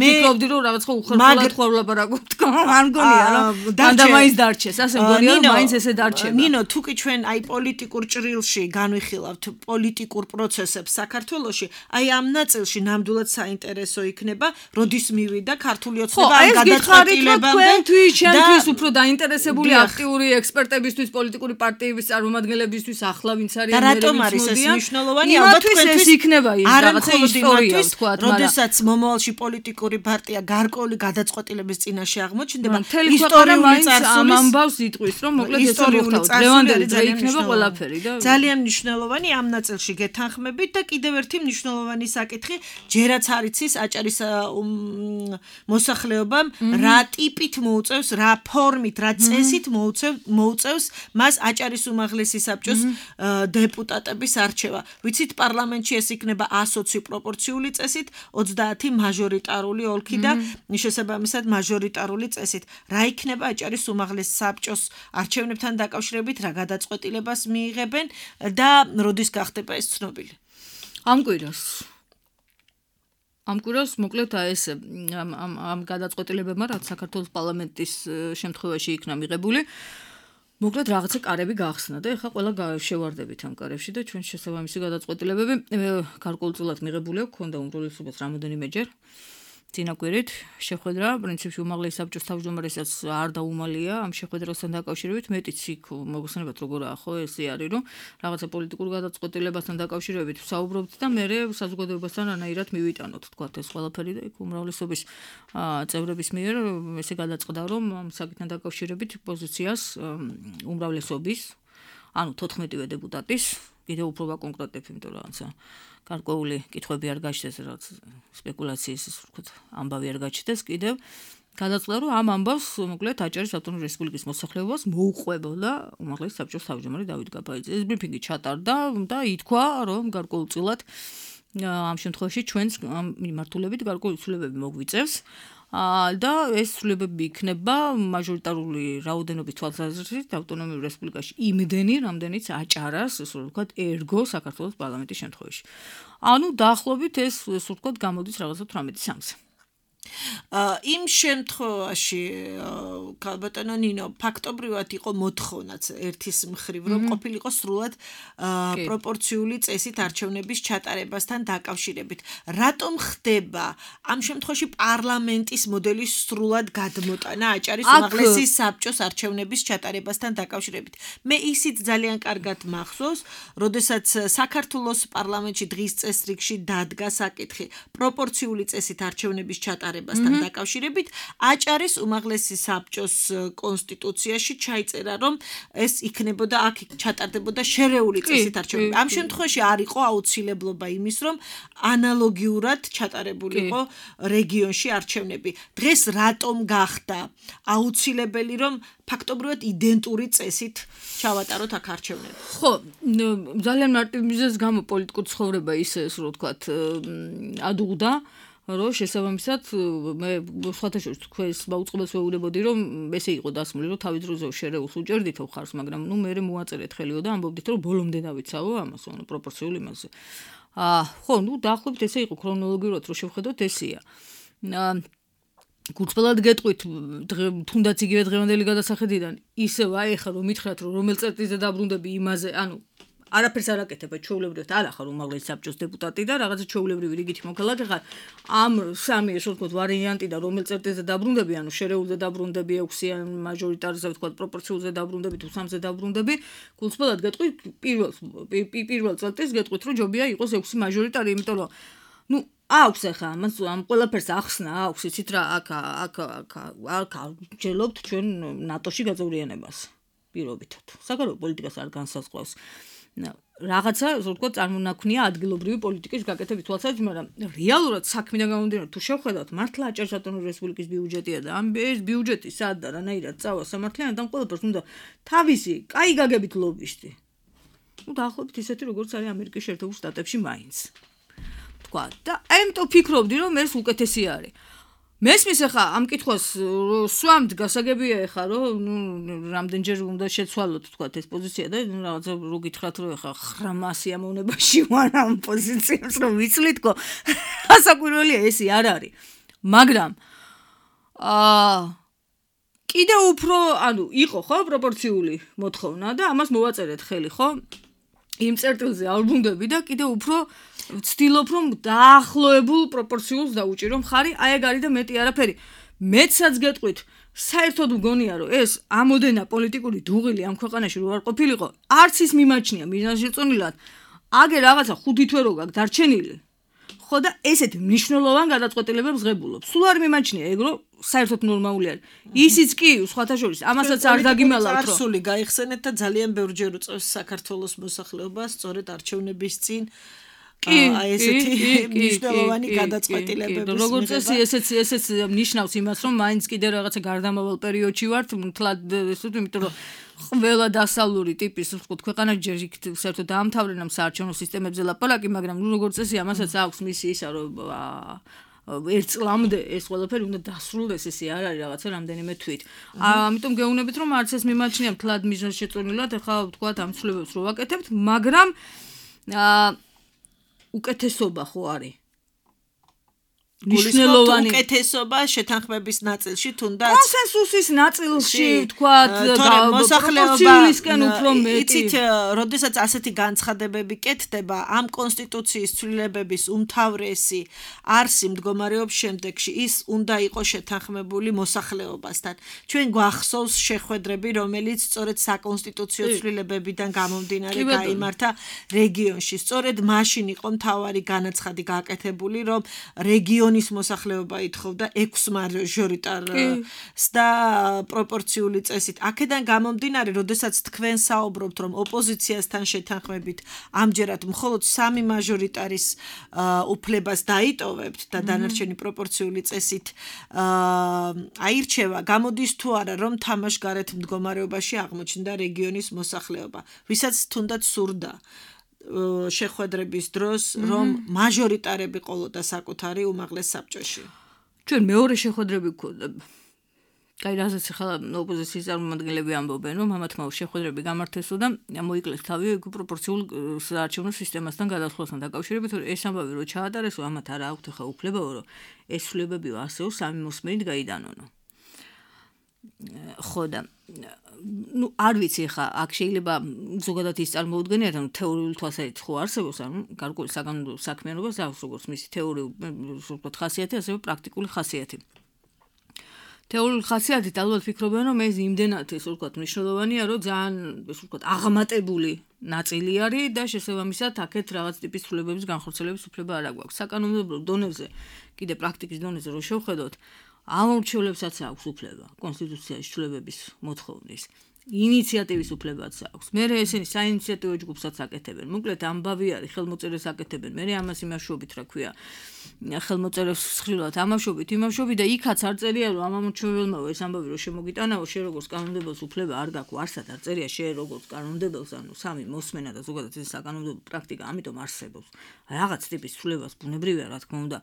ვფიქრობდი რომ რაღაც ხო უხერხულად ხო ვლაპარაკობთ, არ მგონია რომ და მაინც დარჩეს, ასე მგონია რომ მაინც ესე დარჩება. ნინო, თუ კი ჩვენ აი პოლიტიკურ ჭრილში განვიხილავთ პოლიტიკურ პროცესებს საქართველოში, აი ამ ნაწილში ნამდვილად საინტერესო იქნება, როდის მივიდა ქართული ოცნება ამ გადაწყვეტილებამდე და ჩვენთვის უფრო დაინტერესებული აქტიური ექსპერტებისთვის, პოლიტიკური პარტიების წარმომადგენლებისთვის ახლა ვინც არის და რატომ არის ეს მნიშვნელოვანი? ალბათ თქვენთვის იქნება ის რაღაცა ისტორია თქვა, მაგრამ როდესაც მომავალში პოლიტიკური პარტია გარკვეული გადაწყვეტილების წინაშე აღმოჩნდება, ისტორიული წარსულის ამბავს იტყვის, რომ მოკლედ ეს მოხდა დღევანდელი დღე იქნება ყველაფერი და ძალიან მნიშვნელოვანი ამ ნაწილში გეთანხმებით და კიდევ ერთი მნიშვნელოვანი საკითხი, ჯერაც არ იცის აჭარის მოსახლეობამ რა ტიპით მოუწევს, რა ფორმით, რა წესით მოუწევს მას აჭარის უმაღლესი საბჭოს დეპუტატების არჩევა. ვიცით პარლამენტში ეს იქნება ასოცი პროპორციული წესით, ოცდაათი მაჟორიტარული ოლქი და შესაბამისად მაჟორიტარული წესით. რა იქნება აჭარის უმაღლეს საბჭოს არჩევნებთან დაკავშირებით, რა გადაწყვეტილებას მიიღებენ და როდის გახდება ეს ცნობილი? ამ კვირას ამ კვირას მოკლედ ეს ამ ამ ამ გადაწყვეტილებებმა რაც საქართველოს პარლამენტის შემთხვევაში იქნა მიღებული მოკლედ რაღაცა კარები გახსნა და ეხლა ყველა შევარდებით ამ კარებში და ჩვენ შესაბამისი გადაწყვეტილებები გარკვეულწილად მიღებული აქვს, ქონდა უმრავლესობას რამოდენიმეჯერ. წინა კვირით შეხვედრა, პრინციპში უმაღლესი საბჭოს თავმჯდომარესაც არ დაუმალია ამ შეხვედრასთან დაკავშირებით, მეტიც იქ მოგხსენებათ როგორაა ხო ესე არის, რომ რაღაცა პოლიტიკურ გადაწყვეტილებასთან დაკავშირებით ვსაუბრობთ და მე საზოგადოებასთან რანაირად მივიტანოთ, თქვათ ეს ყველაფერი და იქ უმრავლესობის წევრების მიერ ესე გადაწყდა, რომ ამ საკითხთან დაკავშირებით პოზიციას უმრავლესობის, ანუ თოთხმეტივე დეპუტატის კიდევ უფრო ვაკონკრეტებ, იმიტომ რომ რაღაცა გარკვეული კითხვები არ გაჩნდეს, რაც სპეკულაციის ვთქვათ, ამბავი არ გაჩნდეს კიდევ. გადაწყდა, რომ ამ ამბავს მოკლედ აჭარის ავტონომიური რესპუბლიკის მოსახლეობას მოუყვებოდა უმაღლესი საბჭოს თავმჯდომარე დავით გაბაიძე. ეს ბრიფინგი ჩატარდა და ითქვა, რომ გარკვეულწილად ამ შემთხვევაში ჩვენს მიმართულებით გარკვეული ცვლილებები მოგვიწევს. და ეს ცვლილებები იქნება მაჟორიტარული რაოდენობის თვალსაზრისით ავტონომიურ რესპუბლიკაში იმდენი, რამდენიც აჭარას, ესე ვთქვათ, ერგო საქართველოს პარლამენტის შემთხვევაში. ანუ დაახლოებით ეს, ესე ვთქვათ, გამოდის რაღაცა თვრამეტი სამზე. იმ შემთხვევაში ქალბატონო ნინო ფაქტობრივად იყო მოთხოვნაც ერთის მხრივ რომ ყოფილიყო სრულად პროპორციული წესით არჩევნების ჩატარებასთან დაკავშირებით. რატომ ხდება ამ შემთხვევაში პარლამენტის მოდელის სრულად გადმოტანა აჭარის უმაღლესი საბჭოს არჩევნების ჩატარებასთან დაკავშირებით? მე ისიც ძალიან კარგად მახსოვს, როდესაც საქართველოს პარლამენტში დღის წესრიგში დადგა საკითხი პროპორციული წესით არჩევნების ჩატარებასთან დაკავშირებით, აჭარის უმაღლესი საბჭოს კონსტიტუციაში ჩაიწერა, რომ ეს იქნებოდა აქ ჩატარდებოდა შერეული წესით არჩევნები. ამ შემთხვევაში არ იყო აუცილებლობა იმის, რომ ანალოგიურად ჩატარებულიყო რეგიონში არჩევნები. დღეს რატომ გახდა აუცილებელი, რომ ფაქტობრივად იდენტური წესით ჩავატაროთ აქ არჩევნები? ხო, ძალიან მარტივ მიზეზს გამო პოლიტიკურ ცხოვრება ისე, ასე რომ ვთქვათ, ადუღდა. რომ შესაბამისად მე სხვათა შორის თქვენს მაუწყებელს ვეუბნებოდი რომ ესე იყო დასმული რომ თავის დროზე შერეულს უჭერდითო ხარს მაგრამ ნუ მე მოაწერეთ ხელიო და ამბობდით რომ ბოლომდე დავიცავო ამას ანუ პროპორციულ იმაზე აა ხო ნუ დაახლოებით ესე იყო ქრონოლოგიურად რომ შევხედოთ ესეა გულწრფელად გეტყვით თუნდაც იგივე დღევანდელი გადასახედიდან ისევ აი ხა რომ მითხრათ რომ რომელ წერტილზე დაბრუნდები იმაზე ანუ არაფერს არ აკეთებთ ჩვეულებრივად არ ახარ უმაღლესი საბჭოს დეპუტატი და რაღაცა ჩვეულებრივი რიგითი მოქალაქე ხარ ამ სამი ესე ვთქვათ ვარიანტი და რომელ წერტილზე დაბრუნდები ანუ შერეულზე დაბრუნდები ექვსიან მაჟორიტარზე ვთქვათ პროპორციულზე დაბრუნდები თუ სამზე დაბრუნდები გულწრფელად გეტყვით პირველ პირველ წერტილს გეტყვით რომ ჯობია იყოს ექვსი მაჟორიტარი იმიტომ რომ ნუ აქვს ახლა ამას ამ ყველაფერს ახსნა აქვს იცით რა აქ აქ აქ ჯელობთ ჩვენ ნატოში გაწევრიანებას პირობითად საგარეო პოლიტიკას არ განსაზღვრავს რაღაცა ასე ვთქვათ წარმონაქმნია ადგილობრივი პოლიტიკის გაკეთების თვალსაზრისით, მაგრამ რეალურად საქმიდან გამომდინარე თუ შევხედავთ მართლა აჭარის ავტონომიური რესპუბლიკის ბიუჯეტია და ამ ეს ბიუჯეტი სად და რანაირად წავა სამართლიანად ამ ყველაფერს უნდა თავისი კაი გაგებით ლობისტი. ნუ დაახლოებით ისეთი როგორც არის ამერიკის შეერთებულ შტატებში მაინც. თქვა და ამიტომ ფიქრობდი რომ ეს უკეთესი არის. მესმის ახლა ამ კითხვას სვამთ გასაგებია ახლა რომ ნუ რამდენჯერ უნდა შეცვალოთ თქვა ეს პოზიცია და რაღაცა რო გითხრათ რომ ახლა ხრამა სიამოვნებაში ვარ ამ პოზიციას რომ ვიცლითქო ასაკვირველია ესე არ არის მაგრამ აა კიდე უფრო ანუ იყო ხო პროპორციული მოთხოვნა და ამას მოვაწერეთ ხელი ხო იმ წერტილზე არ ვუნდები და კიდე უფრო ვცდილობ რომ დაახლოებულ პროპორციულს დაუჭირო მხარი, აი ეგ არის და მეტი არაფერი. მეცაც გეტყვით, საერთოდ მგონია რომ ეს ამოდენა პოლიტიკური დუღილი ამ ქვეყანაში რო არ ყოფილიყო, არც ის მიმაჩნია მიზანშეწონილად. აგე რაღაცა ხუთი თვე რო გაქვს დარჩენილი. ხო და ესეთ მნიშვნელოვან გადაწყვეტილებებს ღებულობ. სულ არ მიმაჩნია ეგ რომ საერთოდ ნორმალური არის. ისიც კი სხვათა შორის ამასაც არ დაგიმალავთ რომ წარსული გაიხსენეთ და ძალიან ბევრჯერ უწევს საქართველოს მოსახლეობას სწორედ არჩევნების წინ აი ესეთი მნიშვნელოვანი გადაწყვეტილებების როგორც წესი ესეც ესეც ნიშნავს იმას რომ მაინც კიდე რაღაცა გარდამავალ პერიოდში ვართ მთლად ესეთ იმიტომ რომ ყველა დასავლური ტიპის ვთქვათ ქვეყანა ჯერ იქ საერთოდ დაამთავრებენ ამ საარჩევნო სისტემებზე ლაპარაკი მაგრამ ნუ როგორც წესი ამასაც აქვს მისი ისა რომ ერთ წლამდე ეს ყველაფერი უნდა დასრულდეს ესე არ არის რაღაცა რამდენიმე თვით. ამიტომ გეუბნებით რომ არც ეს მიმაჩნია მთლად მიზანშეწონილად ახლა ვთქვათ ამ ცვლილებებს რო ვაკეთებთ მაგრამ უკეთესობა ხო არის მნიშვნელოვანი უკეთესობა შეთანხმების ნაწილში თუნდაც კონსენსუსის ნაწილში ვთქვათ მოსახლეობისკენ უფრო მეტი იცით როდესაც ასეთი განცხადებები კეთდება ამ კონსტიტუციის ცვლილებების უმთავრესი არსი მდგომარეობს შემდეგში ის უნდა იყოს შეთანხმებული მოსახლეობასთან ჩვენ გვახსოვს შეხვედრები რომელიც სწორედ საკონსტიტუციო ცვლილებებიდან გამომდინარე გაიმართა რეგიონში სწორედ მაშინ იყო მთავარი განაცხადი გაკეთებული რომ რეგიონის მოსახლეობა ითხოვდა ექვს მაჟორიტარს და პროპორციული წესით. აქედან გამომდინარე, როდესაც თქვენ საუბრობთ, რომ ოპოზიციასთან შეთანხმებით ამჯერად მხოლოდ სამი მაჟორიტარის უფლებას დაიტოვებთ და დანარჩენი პროპორციული წესით აირჩევა, გამოდის თუ არა, რომ თამაშგარეთ მდგომარეობაში აღმოჩნდა რეგიონის მოსახლეობა, ვისაც თუნდაც სურდა შეხვედრების დროს რომ მაჟორიტარები ყოლოდა საკუთარი უმაღლეს საბჭოში. ჩვენ მეორე შეხვედრები გქონდა. კაი, რასაც ახლა ოპოზიციის წარმომადგენლები ამბობენ, რომ ამათმა შეხვედრები გამართესო და მოიკლეს თავი პროპორციულ საარჩევნო სისტემასთან გადასვლასთან დაკავშირებით, რომ ეს ამბავი რო ჩაატარესო, ამათ არა აქვთ ახლა უფლებაო, რომ ეს ცვლილებებიო ასეო სამი მოსმენით გაიდანონო. ხო და ну არ ვიცი ხა აქ შეიძლება ზოგადად ის წარმოუდგენიათ რომ თეორიული თვალსაზრისით ხო არსებობს ანუ გარკვეული საგანმანათლებლო საქმიანობას აქვს როგორც მისი თეორიული ვთქვათ ხასიათი ასევე პრაქტიკული ხასიათი თეორიული ხასიათით ალბათ ფიქრობენ რომ ეს იმდენად ეს ვთქვათ მნიშვნელოვანია რომ ძალიან ეს ვთქვათ აღმატებული ნაწილი არის და შესაბამისად აქეთ რაღაც ტიპის ცვლილებების განხორციელების უფლება არ აქვს საკანონმდებლო დონეზე კიდე პრაქტიკის დონეზე რო შევხედოთ ამორჩევლებსაც აქვს უფლება კონსტიტუციაში ცვლილებების მოთხოვნის ინიციატივის უფლებაც აქვს მე ესენი საინიციატივო ჯგუფსაც აკეთებენ მოკლედ ამბავი არის ხელმოწერეს აკეთებენ მე ამას იმაშობით რა ქვია ხელმოწერებს ხილვად ამაშობით იმაშობით და იქაც არ წერია რომ ამ ამორჩეველმა ეს ამბავი რომ შემოგიტანაო შე როგორც კანონმდებელს უფლება არ გაქვს არსად არ წერია შე როგორც კანონმდებელს ანუ სამი მოსმენა და ზოგადად ეს საკანონმდებლო პრაქტიკა ამიტომ არსებობს რაღაც ტიპის ცვლილებას ბუნებრივია რა თქმა უნდა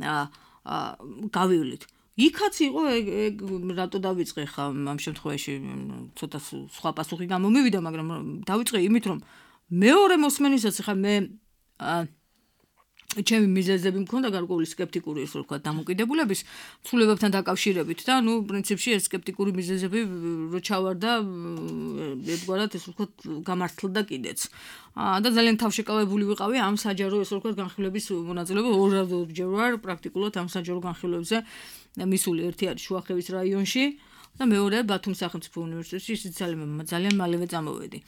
აა გავივლით იქაც იყო ეგ რატო დავიწყე ხა ამ შემთხვევაში ცოტა სხვა პასუხი გამომივიდა მაგრამ დავიწყე იმით რომ მეორე მოსმენისაც ხა მე ჩემი მიზეზები მქონდა გარკვეული სკეპტიკური ისე ვთქვათ დამოკიდებულების ცვლილებებთან დაკავშირებით და ნუ პრინციპში ეს სკეპტიკური მიზეზები რო ჩავარდა ერთგვარად ეს ვთქვათ გამართლდა კიდეც და ძალიან თავშეკავებული ვიყავი ამ საჯარო ესე ვთქვათ განხილვების მონაწილეობა ორჯერ ვარ პრაქტიკულად ამ საჯარო განხილვებზე მისული ერთი არის შუახევის რაიონში და მეორე ბათუმის სახელმწიფო უნივერსიტეტში ისიც ძალიან ძალიან მალევე წამოვედი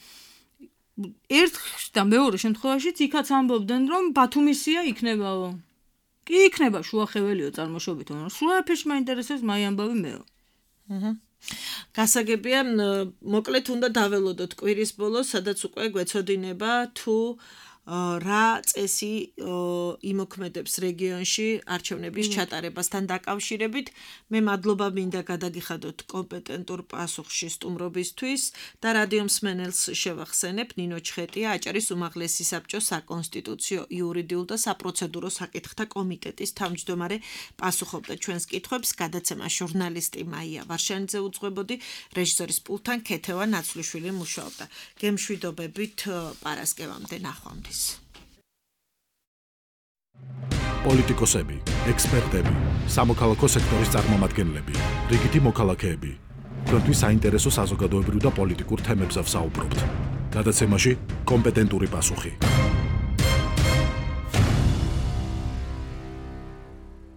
ერთ და მეორე შემთხვევაშიც იქაც ამბობდნენ რომ ბათუმისია იქნებაო კი იქნება შუახეველიო წარმოშობით მაგრამ სულ არაფერში მაინტერესებს მაი ამბავი მეო აჰა გასაგებია მოკლედ უნდა დაველოდოთ კვირის ბოლოს სადაც უკვე გვეცოდინება თუ რა წესი იმოქმედებს რეგიონში არჩევნების ჩატარებასთან დაკავშირებით მე მადლობა მინდა გადაგიხადოთ კომპეტენტურ პასუხში სტუმრობისთვის და რადიო მსმენელს შევახსენებ ნინო ჩხეტია აჭარის უმაღლესი საბჭოს საკონსტიტუციო იურიდიულ და საპროცედურო საკითხთა კომიტეტის თავმჯდომარე პასუხობდა ჩვენს კითხვებს გადაცემა ჟურნალისტი მაია ვარშანიძე უძღვებოდი რეჟისორის პულტთან ქეთევა ნაცვლიშვილი მუშაობდა გემშვიდობებით პარასკევამდე ნახვამდის პოლიტიკოსები, ექსპერტები, სამოქალაქო სექტორის წარმომადგენლები, რიგითი მოქალაქეები. თქვენთვის საინტერესო საზოგადოებრივ და პოლიტიკურ თემებზე ვსაუბრობთ. გადაცემაში კომპეტენტური პასუხი.